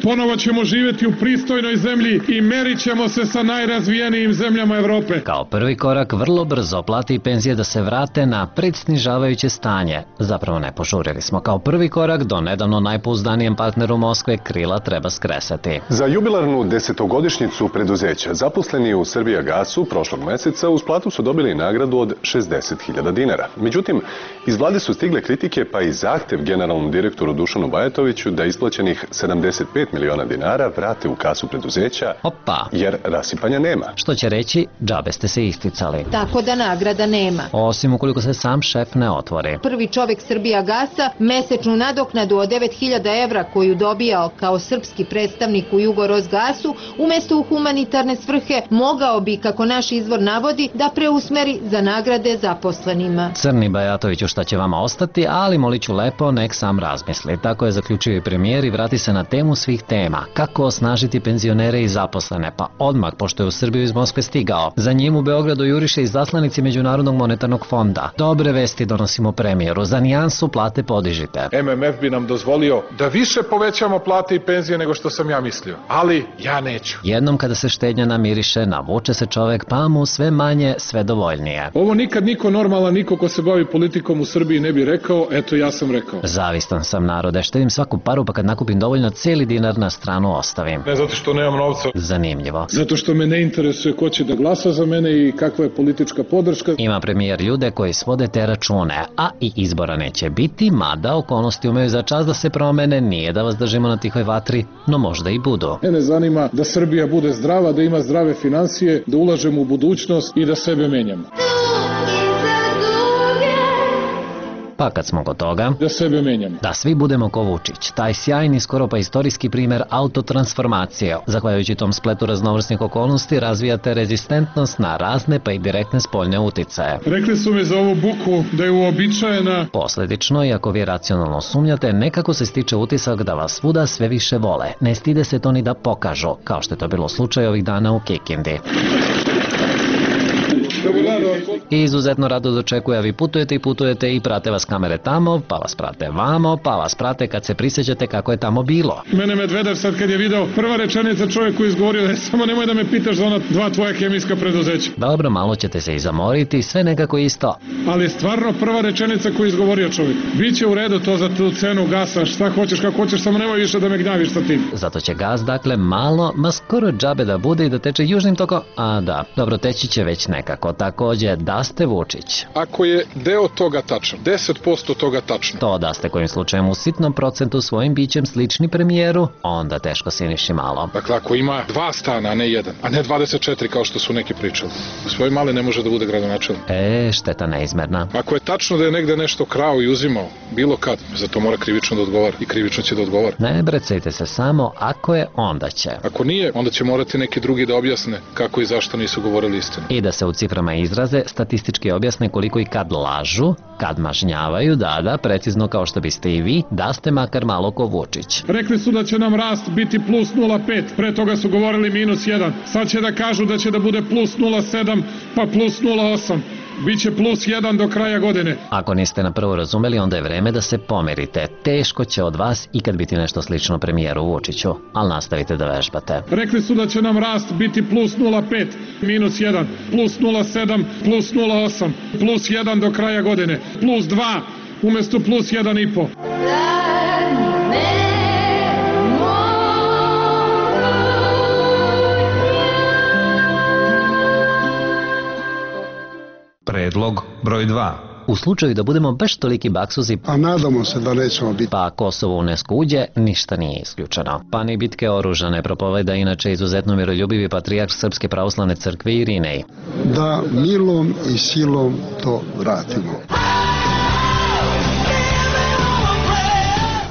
Ponovo ćemo živjeti u pristojnoj zemlji i merit ćemo se sa najrazvijenijim zemljama Evrope.
Kao prvi korak vrlo brzo plate i penzije da se vrate na predsnižavajuće stanje. Zapravo ne požurili smo. Kao prvi korak do nedavno najpouzdanijem partneru Moskve krila treba skresati.
Za jubilarnu 10-godišnjicu preduzeća zaposleni u Srbijagasu prošlog meseca uz platu su dobili nagradu od 60.000 dinara. Međutim, iz vlade su stigle kritike pa i zahtev generalnom direktoru Dušanu Bajatoviću da isplaćenih 75 miliona dinara vrate u kasu preduzeća, jer rasipanja nema.
Što će reći, džabe ste se isticali.
Tako da nagrada nema.
Osim ukoliko se sam šef ne otvori.
Prvi čovjek Srbijagasa mesečnu nadoknadu od 9.000 evra koju dobijao kao srpski predstavnik u Jugorosgasu, umjesto u humanitarne svrhe, mogao bi, kako naš izvor navodi, da preusmeri za nagrade zaposlenima.
Crni Bajatoviću šta će vama ostati, ali moliću lepo, nek sam razmisli. Tako je zaključio i premijer i vrati se na temu svih tema. Kako osnažiti penzionere i zaposlene? Pa odmah, pošto je u Srbiju iz Moskve stigao. Za njim u Beogradu juriše i zaslanici Međunarodnog monetarnog fonda. Dobre vesti donosimo premijeru. Za nijansu plate podižite.
MMF bi nam dozvolio da više povećamo plate i penzije nego što sam ja mislio. Ali ja neću.
Jednom kada se štednja namiriše, navuče se čovek, pa mu sve manje, sve dovoljnije.
Ovo nikad niko normalan, niko ko se bavi politikom u Srbiji ne bi rekao, eto ja sam rekao.
Zavistan sam, narode, štedim svaku paru, pa kad nakupim dovoljno, cijeli dinar na stranu ostavim.
Ne zato što nemam novca.
Zanimljivo.
Zato što me ne interesuje ko će da glasa za mene i kakva je politička podrška.
Ima premijer ljude koji svode te račune, a i izbora neće biti, mada okolnosti umeju za čas da se promene, nije da vas držimo na tihoj vatri, no možda i budu.
Mene zanima da Srbija bude zdrava, da ima zdrave financije, da ulažemo u budućnost i da sebe menjamo.
Pa kad smo kod toga,
da sebe menjamo.
Da svi budemo ko Vučić, taj sjajni, skoro pa istorijski primer autotransformacije. Zahvaljujući tom spletu raznovrsnih okolnosti razvijate rezistentnost na razne pa i direktne spoljne uticaje.
Rekli su mi za ovu buku da je uobičajena.
Posledično, iako vi racionalno sumnjate, nekako se stiče utisak da vas svuda sve više vole. Ne stide se to ni da pokažu, kao što je to bilo slučaj ovih dana u Kikindi. I izuzetno rado dočekuje, a vi putujete i prate vas kamere tamo, pa vas prate vamo, pa vas prate kad se prisjećate kako je tamo bilo.
Mene Medvedev sad kad je video prva rečenica čovjeku izgovorio, samo nemoj da me pitaš za ona 2 tvoja hemijska preduzeća.
Dobro, malo ćete se i zamoriti, sve nekako isto.
Ali stvarno prva rečenica koju izgovorio čovjek. Biće u redu to za tu cenu gasa, šta hoćeš, kako hoćeš, samo nemoj više da me gnjaviš sa tim.
Zato će gas, dakle, malo, ma skoro džabe da bude i da teče južnim tokom, a da, dobro, teći će već nekako. Takođe, da ste Vučić.
Ako je deo toga tačan, 10% toga tačno.
To da ste kojim slučajem u sitnom procentu svojim bićem slični premijeru, onda teško siniši malo.
Dakle, ako ima 2 stana, a ne 1, a ne 24 kao što su neki pričali, svoj mali ne može da bude gradonačelnik.
Šteta neizmerna.
Ako je tačno da je negde nešto krao i uzimao, bilo kad, za to mora krivično da odgovara i krivično će da odgovara.
Ne brecajte se samo, ako je, onda će.
Ako nije, onda će morati neki drugi da objasne kako i zašto nisu govorili istinu.
I da se u ciframa izraze, statistički objasne koliko i kad lažu, kad mažnjavaju, da, precizno kao što biste i vi, da ste makar malo ko Vučić.
Rekli su da će nam rast biti plus 0,5, pre toga su govorili minus 1, sad će da kažu da će da bude plus 0,7, pa plus 0,8. Biće plus 1 do kraja godine.
Ako niste na prvo razumeli, onda je vreme da se pomerite. Teško će od vas ikad biti nešto slično premijeru Vučiću, ali nastavite da vežbate.
Rekli su da će nam rast biti plus 0,5, minus 1, plus 0,7, plus 0,8, plus 1 do kraja godine, plus 2 umesto plus 1,5.
Predlog broj 2.
U slučaju da budemo baš toliki baksuzi,
a nadamo se da nećemo biti,
pa Kosovo UNESCO uđe, ništa nije isključeno. Pa ni bitke oružane propoveda inače izuzetno miroljubivi patrijarh Srpske pravoslavne crkve Irinej.
Da milom i silom to vratimo.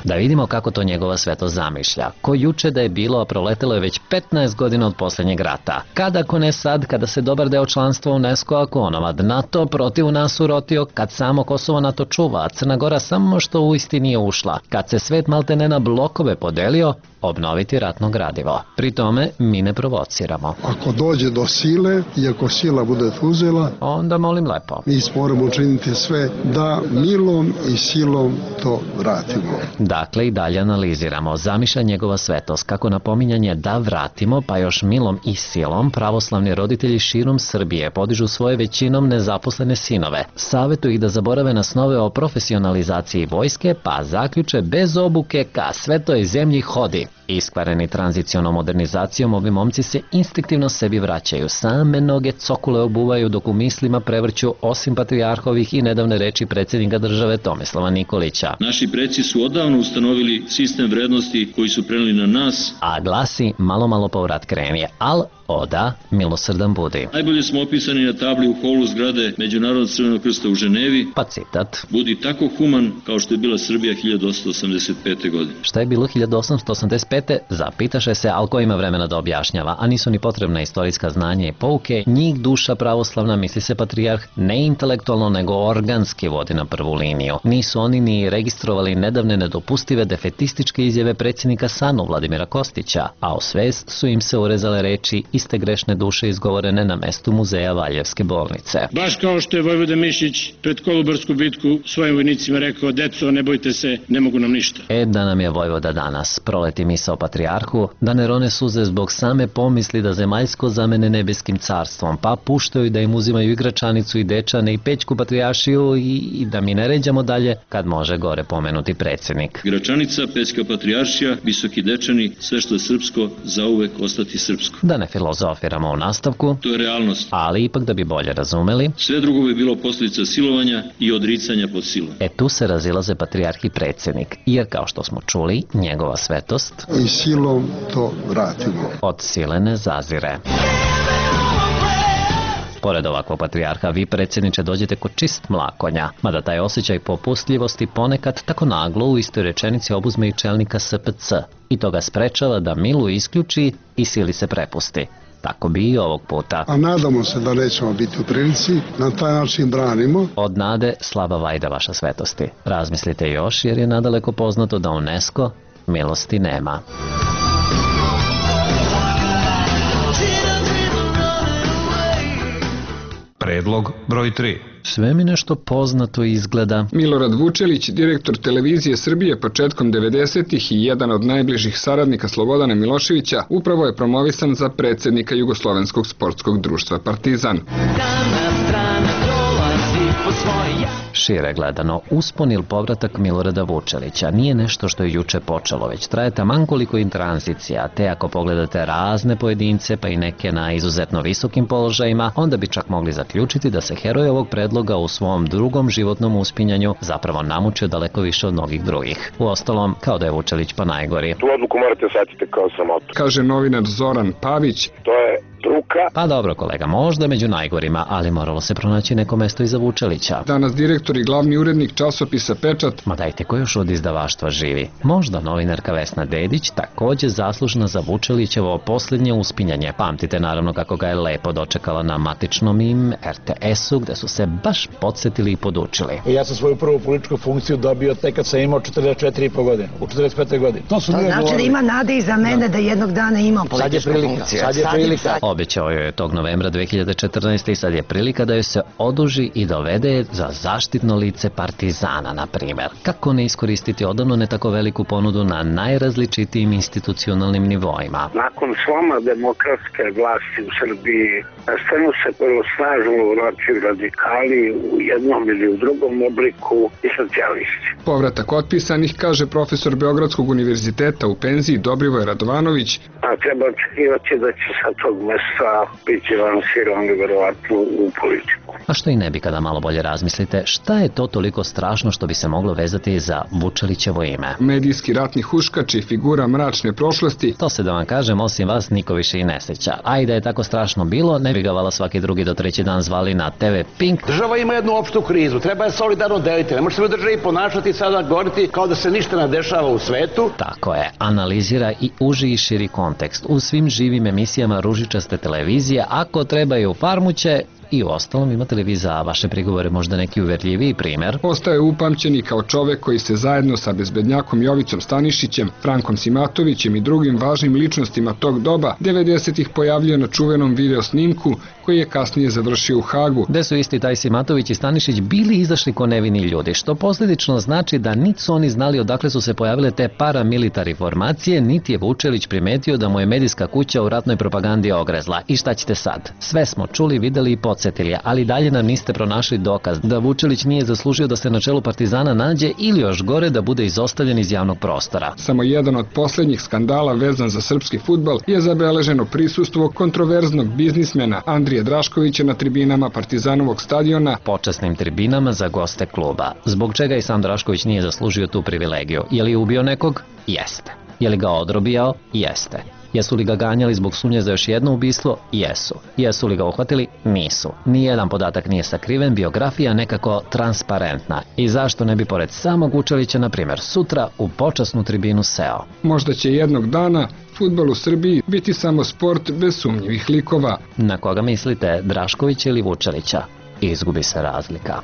Da vidimo kako to njegova svetost zamišlja. Ko juče da je bilo, a proletelo je već 15 godina od posljednjeg rata. Kada, ako ne sad, kada se dobar deo članstva UNESCO, ako onomad NATO protiv nas urotio, kad samo Kosovo NATO čuva, a Crna Gora samo što u isti nije ušla, kad se svet maltene na blokove podelio, obnoviti ratno gradivo. Pri tome mi ne provociramo.
Ako dođe do sile i ako sila bude uzela,
onda molim lepo.
Mi moramo učiniti sve da milom i silom to vratimo.
Dakle, i dalje analiziramo. Zamišlja njegova svetost kako napominjanje da vratimo, pa još milom i silom, pravoslavni roditelji širom Srbije podižu svoje većinom nezaposlene sinove. Savetuju ih da zaborave na snove o profesionalizaciji vojske, pa zaključe bez obuke ka svetoj zemlji hodi. Iskvareni tranzicionom modernizacijom, ovi momci se instinktivno sebi vraćaju. Same noge cokule obuvaju dok u mislima prevrću osim patrijarhovih i nedavne reči predsjednika države Tomislava Nikolića.
Naši preci su odavno ustanovili sistem vrednosti koji su preneli na nas.
A glasi malo povrat krenije, al oda milosrdan budi.
Najbolje smo opisani na tabli u holu zgrade Međunarodnog Crvenog krsta u Ženevi.
Pa citat.
Budi tako human kao što je bila Srbija 1885. godine.
Šta je bilo 1885. Zapitaše se, al ko ima vremena da objašnjava, a nisu ni potrebna istorijska znanja i pouke, njih duša pravoslavna, misli se patrijarh, ne intelektualno nego organski vodi na prvu liniju. Nisu oni ni registrovali nedavne nedopustive defetističke izjave predsjednika SANU Vladimira Kostića, a o svest su im se urezale reči iste grešne duše izgovorene na mestu muzeja Valjevske bolnice.
Baš kao što je Vojvoda Mišić pred Kolubarsku bitku svojim vojnicima rekao: deco, ne bojte se, ne mogu nam ništa.
Da nam je Vojvoda danas proleti misao patrijarhu, da ne rone suze zbog same pomisli da zemaljsko zamene nebeskim carstvom, pa puštaju da im uzimaju igračanicu i dečane i pećku patrijaršiju i da mi ne ređamo dalje kad može gore pomenuti predsjednik.
Igračanica, pećka patrijaršija, visoki dečani, sve što je srpsko, zauvek ostati srpsko.
Da ne filozofiramo u nastavku,
to je realnost.
Ali ipak da bi bolje razumeli,
sve drugo bi bilo posljedica silovanja i odricanja pod silom.
Tu se razilaze patrijarh i predsjednik, jer kao što smo čuli, njegova svetost
i silom to vratimo.
Od sile ne zazire. Pored ovakvog patrijarha, vi predsjedniče dođete kod čist mlakonja, mada taj osjećaj popustljivosti ponekad tako naglo u istoj rečenici obuzme i čelnika SPC i to ga sprečava da milu isključi i sili se prepusti. Tako bi i ovog puta.
A nadamo se da nećemo biti u prilici, na taj način branimo.
Od nade slaba vajda, vaša svetosti. Razmislite još, jer je nadaleko poznato da UNESCO milosti nema.
Predlog broj 3.
Sve mi nešto poznato izgleda.
Milorad Vučelić, direktor televizije Srbije početkom 90-ih i jedan od najbližih saradnika Slobodana Miloševića, upravo je promovisan za predsjednika Jugoslovenskog sportskog društva Partizan.
Šire gledano, uspon ili povratak Milorada Vučelića nije nešto što je juče počelo, već traje taman koliko i tranzicija, te ako pogledate razne pojedince, pa i neke na izuzetno visokim položajima, onda bi čak mogli zaključiti da se heroj ovog predloga u svom drugom životnom uspinjanju zapravo namučio daleko više od mnogih drugih. Uostalom, kao da je Vučelić pa najgori.
Tu odluku morate shvatiti kao sramotu.
Kaže novinar Zoran Pavić.
To je struka.
Pa dobro kolega, možda među najgorima, ali moralo se pronaći neko mesto iza Vučelića.
Danas direktor i glavni urednik časopisa Pečat.
Ma dajte, ko još od izdavaštva živi? Možda novinarka Vesna Dedić, također zaslužna za Vučelićevo posljednje uspinjanje. Pamtite naravno kako ga je lepo dočekala na matičnom im RTS-u, gde su se baš podsjetili i podučili.
Ja sam svoju prvu političku funkciju dobio tek kad sam imao 44,5 godine, u 45. godini.
To znači da ima nade i za mene da jednog dana imam političku funkciju.
Sad je prilika.
Obećao joj je tog novembra 2014. i sad je prilika da joj se oduži i dovede za zaštitno lice Partizana, na primjer. Kako ne iskoristiti odavno ne tako veliku ponudu na najrazličitijim institucionalnim nivoima?
Nakon sloma demokratske vlasti u Srbiji, na scenu se prvo snažno uvraćaju radikali u jednom ili u drugom obliku i socijalisti.
Povratak otpisanih, kaže profesor Beogradskog univerziteta u penziji Dobrivoj Radovanović.
A treba očekivati da će sa tog mesta biti lansirani verovatno u politiku.
A što i ne bi kada malo bolje razmislite, šta je to toliko strašno što bi se moglo vezati za Vučelićevo ime?
Medijski ratni huškač i figura mračne prošlosti.
To se da vam kažem, osim vas niko više i ne seća. A i da je tako strašno bilo, ne bi ga vala svaki drugi do treći dan zvali na TV Pink.
Država ima jednu opštu krizu, treba je solidarno deliti. Ne može se u državi ponašati sada govoriti kao da se ništa ne dešava u svetu.
Tako je, analizira i uži i širi kontekst. U svim živim emisijama ružičaste televizije, ako treba i u farmuće, i u ostalom imate li vi za vaše prigovore možda neki uverljiviji primjer?
Ostaje upamćeni kao čovek koji se zajedno sa bezbednjakom Jovicom Stanišićem, Frankom Simatovićem i drugim važnim ličnostima tog doba 90-ih pojavljuje na čuvenom video snimku koji je kasnije završio u Hagu.
Gde su isti taj Simatović i Stanišić bili izašli ko nevini ljudi, što posljedično znači da niti su oni znali odakle su se pojavile te paramilitari formacije, niti je Vučelić primetio da mu je medijska kuća u ratnoj propagandi ogrezla. I šta ćete sad? Sve smo čuli, videli i podsjetili, ali dalje nam niste pronašli dokaz da Vučelić nije zaslužio da se na čelu Partizana nađe ili još gore da bude izostavljen iz javnog prostora.
Samo jedan od posljednjih skandala vezan za srpski fudbal je zabeleženo prisustvo kontroverznog biznismena Andrije Draškovića na tribinama Partizanovog stadiona.
Počasnim tribinama za goste kluba. Zbog čega i sam Drašković nije zaslužio tu privilegiju? Je li ubio nekog? Jeste. Je li ga odrobijao? Jeste. Jesu li ga ganjali zbog sumnje za još jedno ubistvo? Jesu. Jesu li ga uhvatili? Nisu. Nijedan podatak nije sakriven, biografija nekako transparentna. I zašto ne bi pored samog Vučelića, na primjer, sutra u počasnu tribinu seo?
Možda će jednog dana fudbal u Srbiji biti samo sport bez sumnjivih likova.
Na koga mislite, Draškovića ili Vučelića? Izgubi se razlika.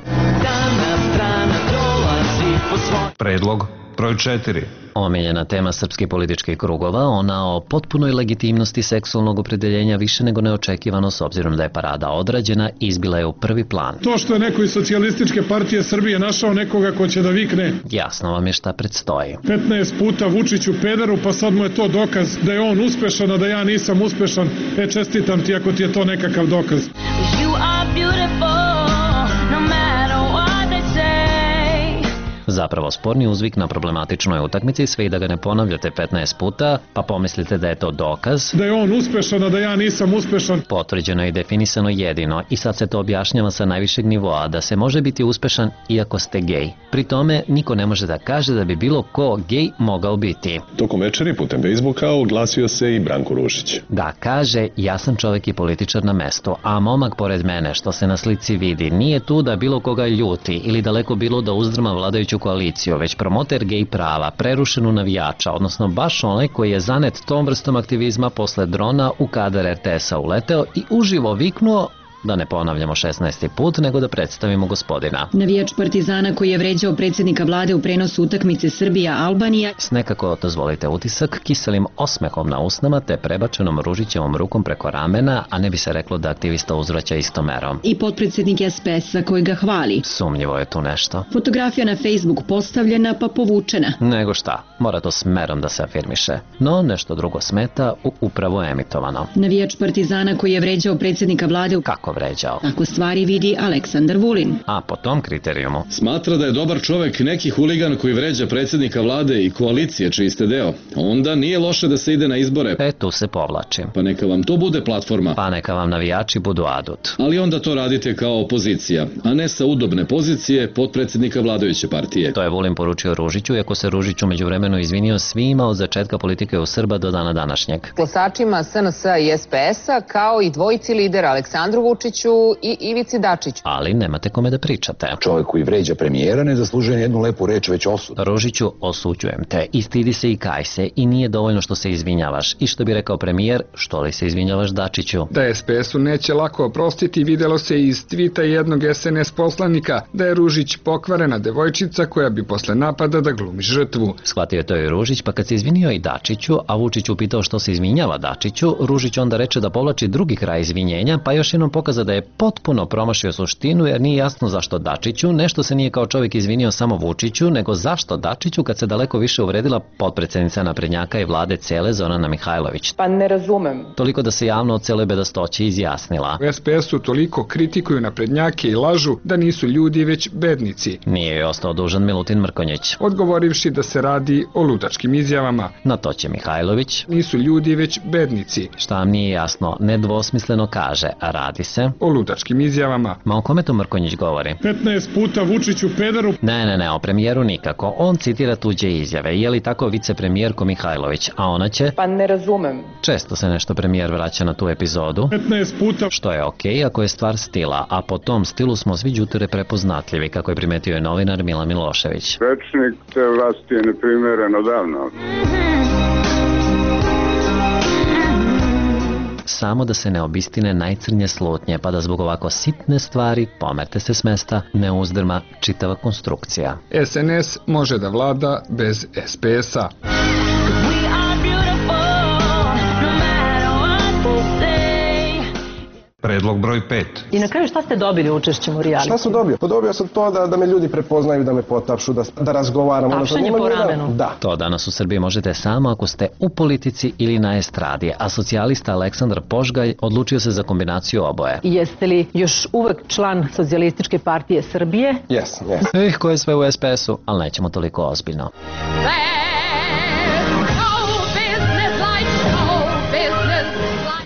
Predlog broj 4.
Omiljena tema srpskih političkih krugova, ona o potpunoj legitimnosti seksualnog opredeljenja više nego neočekivano s obzirom da je parada odrađena, izbila je u prvi plan.
To što je neko iz Socijalističke partije Srbije našao nekoga ko će da vikne.
Jasno vam je šta predstoji.
15 puta Vučiću pederu, pa sad mu je to dokaz da je on uspešan, a da ja nisam uspešan. Čestitam ti ako ti je to nekakav dokaz.
Zapravo sporni uzvik na problematičnoj utakmici, sve i da ga ne ponavljate 15 puta, pa pomislite da je to dokaz.
Da je on uspešan, a da ja nisam uspešan.
Potvrđeno i definisano jedino i sad se to objašnjava sa najvišeg nivoa, da se može biti uspešan iako ste gej. Pri tome niko ne može da kaže da bi bilo ko gej mogao biti.
Tokom večeri putem Facebooka oglasio se i Branko Ružić.
Da, kaže, ja sam čovjek i političar na mestu, a momak pored mene, što se na slici vidi, nije tu da bilo koga ljuti ili daleko bilo da uzdrma vladajuću koaliciju, već promoter gej prava, prerušenu navijača, odnosno baš onaj koji je zanet tom vrstom aktivizma posle drona u kadar RTS-a uleteo i uživo viknuo, da ne ponavljamo 16. put, nego da predstavimo gospodina.
Navijač Partizana koji je vređao predsjednika vlade u prenosu utakmice Srbija-Albanija.
S nekako, dozvolite utisak, kiselim osmehom na usnama te prebačenom Ružićevom rukom preko ramena, a ne bi se reklo da aktivista uzvraća istomerom.
I potpredsjednik SPS-a koji ga hvali.
Sumnjivo je tu nešto.
Fotografija na Facebook postavljena pa povučena.
Nego šta, mora to smerom da se afirmiše. No, nešto drugo smeta upravo emitovano.
Navijač Partizana koji je vređao predsjednika vlade.
Kako vređao?
Ako stvari vidi Aleksandar Vulin.
A po tom kriterijumu?
Smatra da je dobar čovek neki huligan koji vređa predsjednika vlade i koalicije čiji ste deo. Onda nije loše da se ide na izbore.
Tu se povlačim.
Pa neka vam to bude platforma.
Pa neka vam navijači budu adut.
Ali onda to radite kao opozicija, a ne sa udobne pozicije potpredsjednika vladajuće partije.
To je Vulin poručio Ružiću, iako se Ružić umeđuvremenu izvinio svima od začetka politike u Srba do dana današnjeg.
Glasačima SNS-a i SPS-a, kao i dvojici lidera Aleksandru Vučiću i Ivici Dačiću.
Ali nemate kome da pričate.
Čovjek koji vređa premijera ne zaslužuje jednu lepu reč, već osud.
Ružiću, osuđujem te. I stidi se i kaj se. I nije dovoljno što se izvinjavaš. I što bi rekao premijer, što li se izvinjavaš Dačiću?
Da SPS-u neće lako oprostiti, videlo se iz tvita jednog SNS poslanika da je Ružić pokvarena devojčica koja bi posle napada da glumi žrtvu.
Shvatio je to i Ružić, pa kad se izvinio i Dačiću, a Vučić upitao što se izvinjava Dačiću, Ružić onda reče da povlači drugi kraj izvinjenja, pa još jednom pokaza da je potpuno promašio suštinu jer nije jasno zašto Dačiću, nešto se nije kao čovjek izvinio samo Vučiću, nego zašto Dačiću kad se daleko više uvredila potpredsjednica naprednjaka i vlade cele Zorana Mihajlović.
Pa ne razumem.
Toliko da se javno o celoj bedastoći izjasnila.
U SPS-u toliko kritikuju naprednjake i lažu da nisu ljudi već bednici.
Nije joj ostao dužan Milutin Mrkonjić.
Odgovorivši da se radi o ludačkim izjavama.
Na to će Mihajlović.
Nisu ljudi već bednici.
Šta vam nije jasno, nedvosmisleno kaže, a radi se
o ludačkim izjavama.
Ma o kome to Mrkonjić govori?
15 puta Vučiću pederu.
Ne, o premijeru nikako. On citira tuđe izjave. Je li tako vicepremijerko Mihajlović? A ona će?
Pa ne razumem.
Često se nešto premijer vraća na tu epizodu.
15 puta.
Što je okej ako je stvar stila, a po tom stilu smo svi đuture prepoznatljivi, kako je primetio je novinar Milan Milošević.
Rečnik te vlasti je neprimereno davno.
Samo da se ne obistine najcrnje slutnje, pa da zbog ovako sitne stvari, pomerte se s mesta, ne uzdrma čitava konstrukcija.
SNS može da vlada bez SPS-a.
Predlog broj 5.
I na kraju šta ste dobili učešćem u realitiju?
Šta sam dobio? Pa dobio sam to da me ljudi prepoznaju, da me potapšu, da razgovaramo.
Tapšanje po ramenu.
Da.
To danas u Srbiji možete samo ako ste u politici ili na estradi, a socijalista Aleksandar Požgalj odlučio se za kombinaciju oboje.
Jeste li još uvek član Socijalističke partije Srbije?
Yes.
Ko je sve u SPS-u, ali nećemo toliko ozbiljno.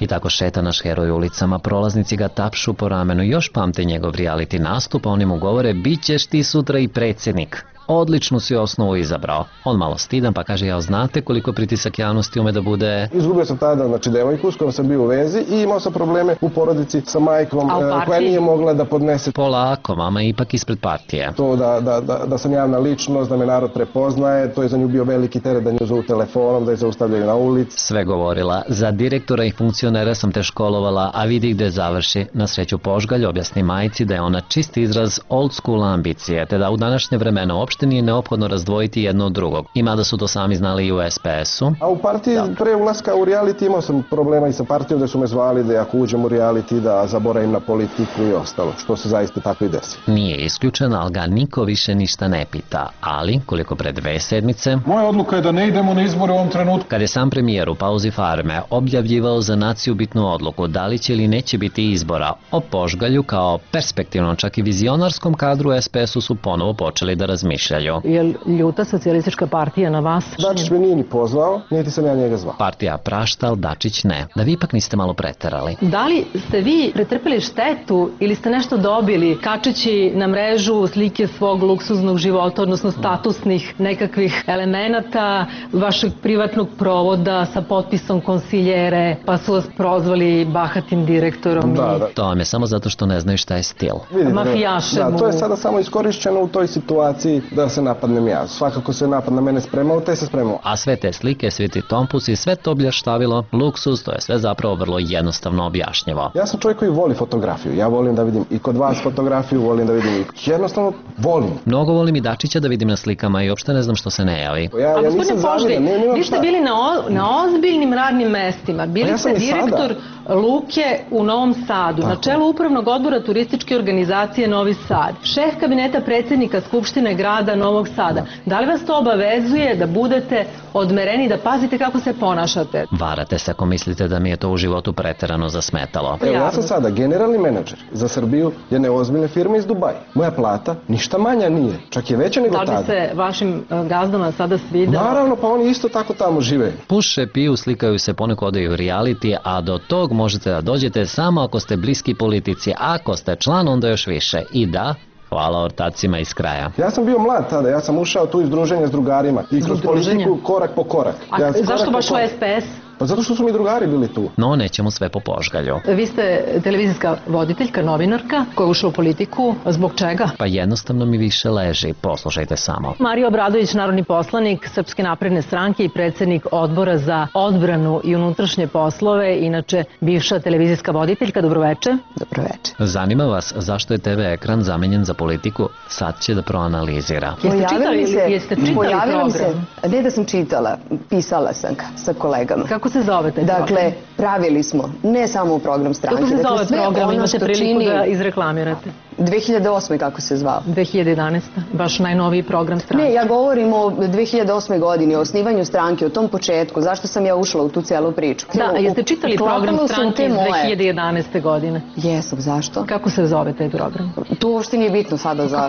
I tako šeta naš heroj ulicama, prolaznici ga tapšu po ramenu, još pamte njegov reality nastup, a oni mu govore, bit ćeš ti sutra i predsjednik. Odličnu si osnovu izabrao. On malo stidan pa kaže, ja znate koliko pritisak javnosti ume da bude...
Izgubio sam tada, devojku s kojom sam bio u vezi i imao sam probleme u porodici sa majkom koja nije mogla da podnese.
Polako, mama je ipak ispred partije.
To da sam javna ličnost, da me narod prepoznaje, to je za nju bio veliki teret da nju zovu telefonom, da je zaustavljaju na ulici.
Sve govorila, za direktora i funkcionera sam te školovala, a vidi gde završi. Na sreću Požgalj objasni majci da je ona čist izraz old school ambicije, te da u današnje vremena uopšte nije neophodno razdvojiti jedno od drugog. Ima da su to sami znali i u SPS-u.
A u partiji pre ulaska u reality imao sam problema i sa partijom da su me zvali da ako uđem u reality da zaboravim na politiku i ostalo, što se zaista tako i desi.
Nije isključeno, ali ga niko više ništa ne pita. Ali, koliko pre 2 sedmice...
Moja odluka je da ne idemo na izbore u ovom trenutku.
Kad je sam premijer u pauzi farme objavljivao za naciju bitnu odluku da li će ili neće biti izbora, o Požgalju kao perspektivnom, čak i vizionarskom kadru SPS-u su ponovo počeli da razmišljaju. razmišljaju.
Je li ljuta socijalistička partija na vas?
Dačić me nije ni pozvao, niti sam ja njega zvao.
Partija prašta, ali Dačić ne. Da vi ipak niste malo preterali.
Da li ste vi pretrpeli štetu ili ste nešto dobili kačeći na mrežu slike svog luksuznog života, odnosno statusnih nekakvih elemenata, vašeg privatnog provoda sa potpisom konsiljere, pa su vas prozvali bahatim direktorom?
Da.
To vam je samo zato što ne znaju šta je stil.
Mafijašem.
Da, to je sada samo iskorišćeno u toj situaciji da se napadnem ja. Svakako se napad na mene spremao, te se spremao.
A sve te slike, svi ti tompusi, sve to bljaštavilo, luksuz, to je sve zapravo vrlo jednostavno objašnjivo.
Ja sam čovjek koji voli fotografiju. Ja volim da vidim i kod vas fotografiju, volim da vidim i jednostavno volim.
Mnogo volim i Dačića da vidim na slikama i uopšte ne znam što se ne javi.
Ja nisam zavidan,
vi ste bili na ozbiljnim radnim mestima. Bili ste direktor Luke u Novom Sadu, na čelu upravnog odbora turističke organizacije Novi Sad, šef kabineta predsjednika Skupštine grada Novog Sada. Da li vas to obavezuje da budete odmereni, da pazite kako se ponašate?
Varate se ako mislite da mi je to u životu preterano zasmetalo.
Ja sam sada generalni menadžer za Srbiju jedne ozbiljne firme iz Dubaja. Moja plata ništa manja nije, čak je veća nego tada.
Da li se vašim gazdama sada svidelo?
Naravno, pa oni isto tako tamo žive.
Puše, piju, slikaju se, poneko odaju u reality, a do tog možete da dođete samo ako ste bliski politici, ako ste član onda još više. I da, hvala ortacima iz kraja.
Ja sam bio mlad tada, ja sam ušao tu iz druženja s drugarima i kroz politiku korak po korak.
A zašto baš u SPS?
Pa zato što su mi drugari bili tu.
No, nećemo sve po požgalju.
Vi ste televizijska voditeljka, novinarka, koja je ušla u politiku. Zbog čega?
Pa jednostavno mi više leži. Poslušajte samo.
Mario Obradović, narodni poslanik Srpske napredne stranke i predsjednik odbora za odbranu i unutrašnje poslove, inače bivša televizijska voditeljka. Dobroveče.
Dobroveče.
Zanima vas zašto je TV ekran zamenjen za politiku? Sad će da proanalizira.
Jeste čitali program?
Ne da sam čitala, pisala sam ga sa kolegama.
Kako se zove taj program?
Dakle, pravili smo ne samo program stranke.
Kako se zove program? Imate priliku da izreklamirate.
2008. kako se zvao?
2011. Baš najnoviji program stranke.
Ne, ja govorim o 2008. godini, o osnivanju stranke, o tom početku. Zašto sam ja ušla u tu celu priču?
Da, a jeste čitali program stranke iz 2011. godine?
Jesam, zašto?
Kako se zove taj program?
To uopšte nije bitno sada za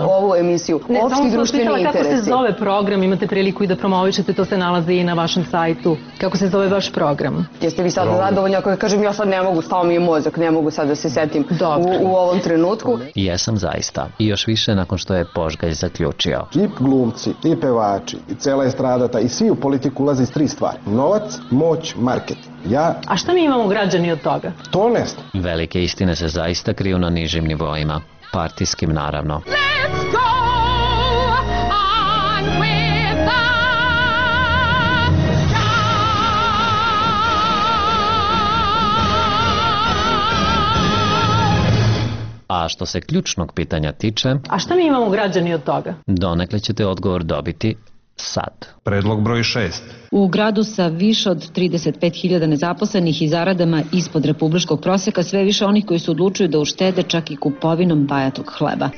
ovu emisiju.
Ne,
Opšti društveni interesi.
Kako se zove program, imate priliku i da promovišete, to se nalazi i na vašem sajtu. Kako se zove vaš program?
Jeste vi sada zadovoljni ako kažem ja sad ne mogu, stao mi je mozak, ne mogu sad da se setim u ovom trenutku.
Jesam zaista. I još više nakon što je Požgalj zaključio.
I glumci, i pevači, i cela estradata, i svi u politiku ulaze iz 3 stvari. Novac, moć, marketing.
A šta mi imamo građani od toga?
To ne znam.
Velike istine se zaista kriju na nižim nivoima. Partijskim, naravno.
Let's go on with the
A što se ključnog pitanja tiče...
A šta mi imamo građani od toga?
Donekle ćete odgovor dobiti sad.
Predlog broj 6.
U gradu sa više od 35.000 nezaposlenih i zaradama ispod republičkog prosjeka sve više onih koji se odlučuju da uštede čak i kupovinom bajatog hleba.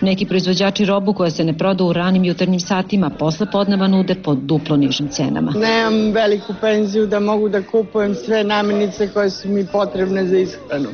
Neki proizvođači robu koja se ne proda u ranim jutarnjim satima posle podneva nude po duplo nižim cenama.
Nemam veliku penziju da mogu da kupujem sve namirnice koje su mi potrebne za ishranu.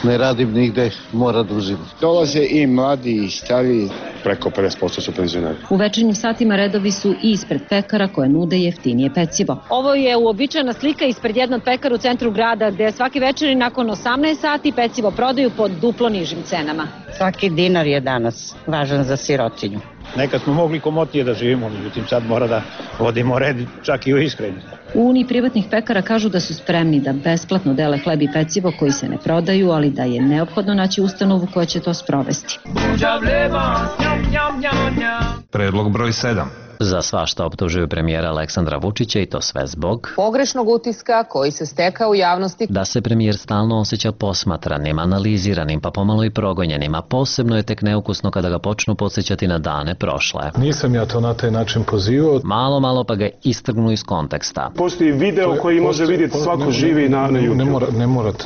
Ne radim nigde, mora da uzimam.
Dolaze i mladi i stariji, preko 50% su penzioneri.
U večernjim satima redovi su i ispred pekara koje nude jeftinije pecivo.
Ovo je uobičajena slika ispred jednog pekara u centru grada gde svaki večeri nakon 18 sati pecivo prodaju po duplo nižim cenama.
Svaki dinar je danas važan za sirotinju.
Nekad smo mogli komotnije da živimo, međutim sad mora da vodimo red čak i u ishrani.
U Uniji privatnih pekara kažu da su spremni da besplatno dele hleb i pecivo koji se ne prodaju, ali da je neophodno naći ustanovu koja će to sprovesti.
Predlog broj 7.
Za svašta optužuju premijera Aleksandra Vučića i to sve zbog
pogrešnog utiska koji se stekao u javnosti.
Da se premijer stalno osjeća posmatranim, analiziranim, pa pomalo i progonjenim, a posebno je tek neukusno kada ga počnu podsjećati na dane prošle.
Nisam ja to na taj način pozivao.
Malo pa ga istrgnu iz konteksta.
Postoji video koji može vidjeti svako živi na YouTube.
Ne morate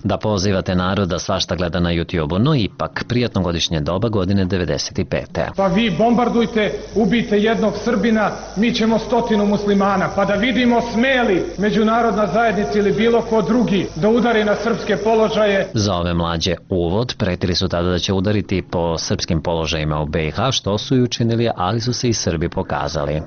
da pozivate narod da svašta gleda na YouTube-u, no ipak prijatno godišnje doba godine 95.
Pa vi bombardujte, ubijte jednog
jednog Srbina, mi ćemo 100 muslimana, pa da vidimo smeli međunarodna zajednica ili bilo ko drugi da udari na srpske položaje.
Za ove mlađe uvod, pretili su tada da će udariti po srpskim položajima u BiH, što su i učinili, ali su se i Srbi pokazali.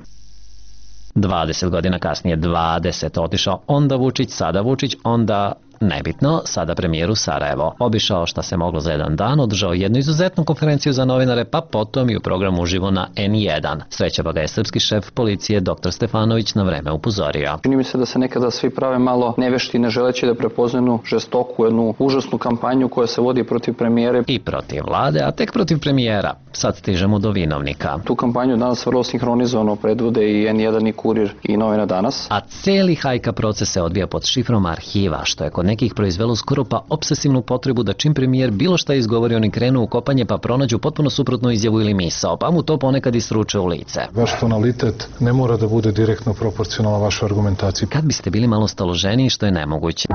20 godina kasnije, 20, otišao onda Vučić, sada Vučić, onda nebitno, sada premijer u Sarajevo. Obišao šta se moglo za jedan dan, održao jednu izuzetnu konferenciju za novinare, pa potom i u programu uživo na N1. Sreća pa ga je srpski šef policije dr. Stefanović na vreme upozorio.
Čini mi se da se nekada svi prave malo nevešti, ne želeći da prepoznaju žestoku, jednu užasnu kampanju koja se vodi protiv premijere
i protiv vlade, a tek protiv premijera. Sad stižemo do vinovnika.
Tu kampanju danas vrlo sinhronizovano predvode i N1 i Kurir i Novina danas.
A cijeli hajka proces se odvija pod šifrom arhiva, što je kod nekih proizvelo skoro pa obsesivnu potrebu da čim premijer bilo šta izgovori, oni krenu u kopanje pa pronađu potpuno suprotnu izjavu ili misao, pa mu to ponekad istruče u lice.
Vaš tonalitet ne mora da bude direktno proporcionalan vašoj argumentaciji.
Kad biste bili malo staloženiji, što je nemoguće.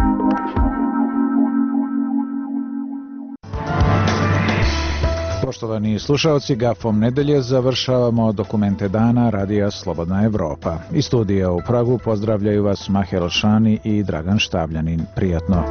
Poštovani slušaoci, gafom nedelje završavamo dokumente dana Radija Slobodna Evropa. Iz studija u Pragu pozdravljaju vas Maher Alšani i Dragan Štavljanin. Prijatno.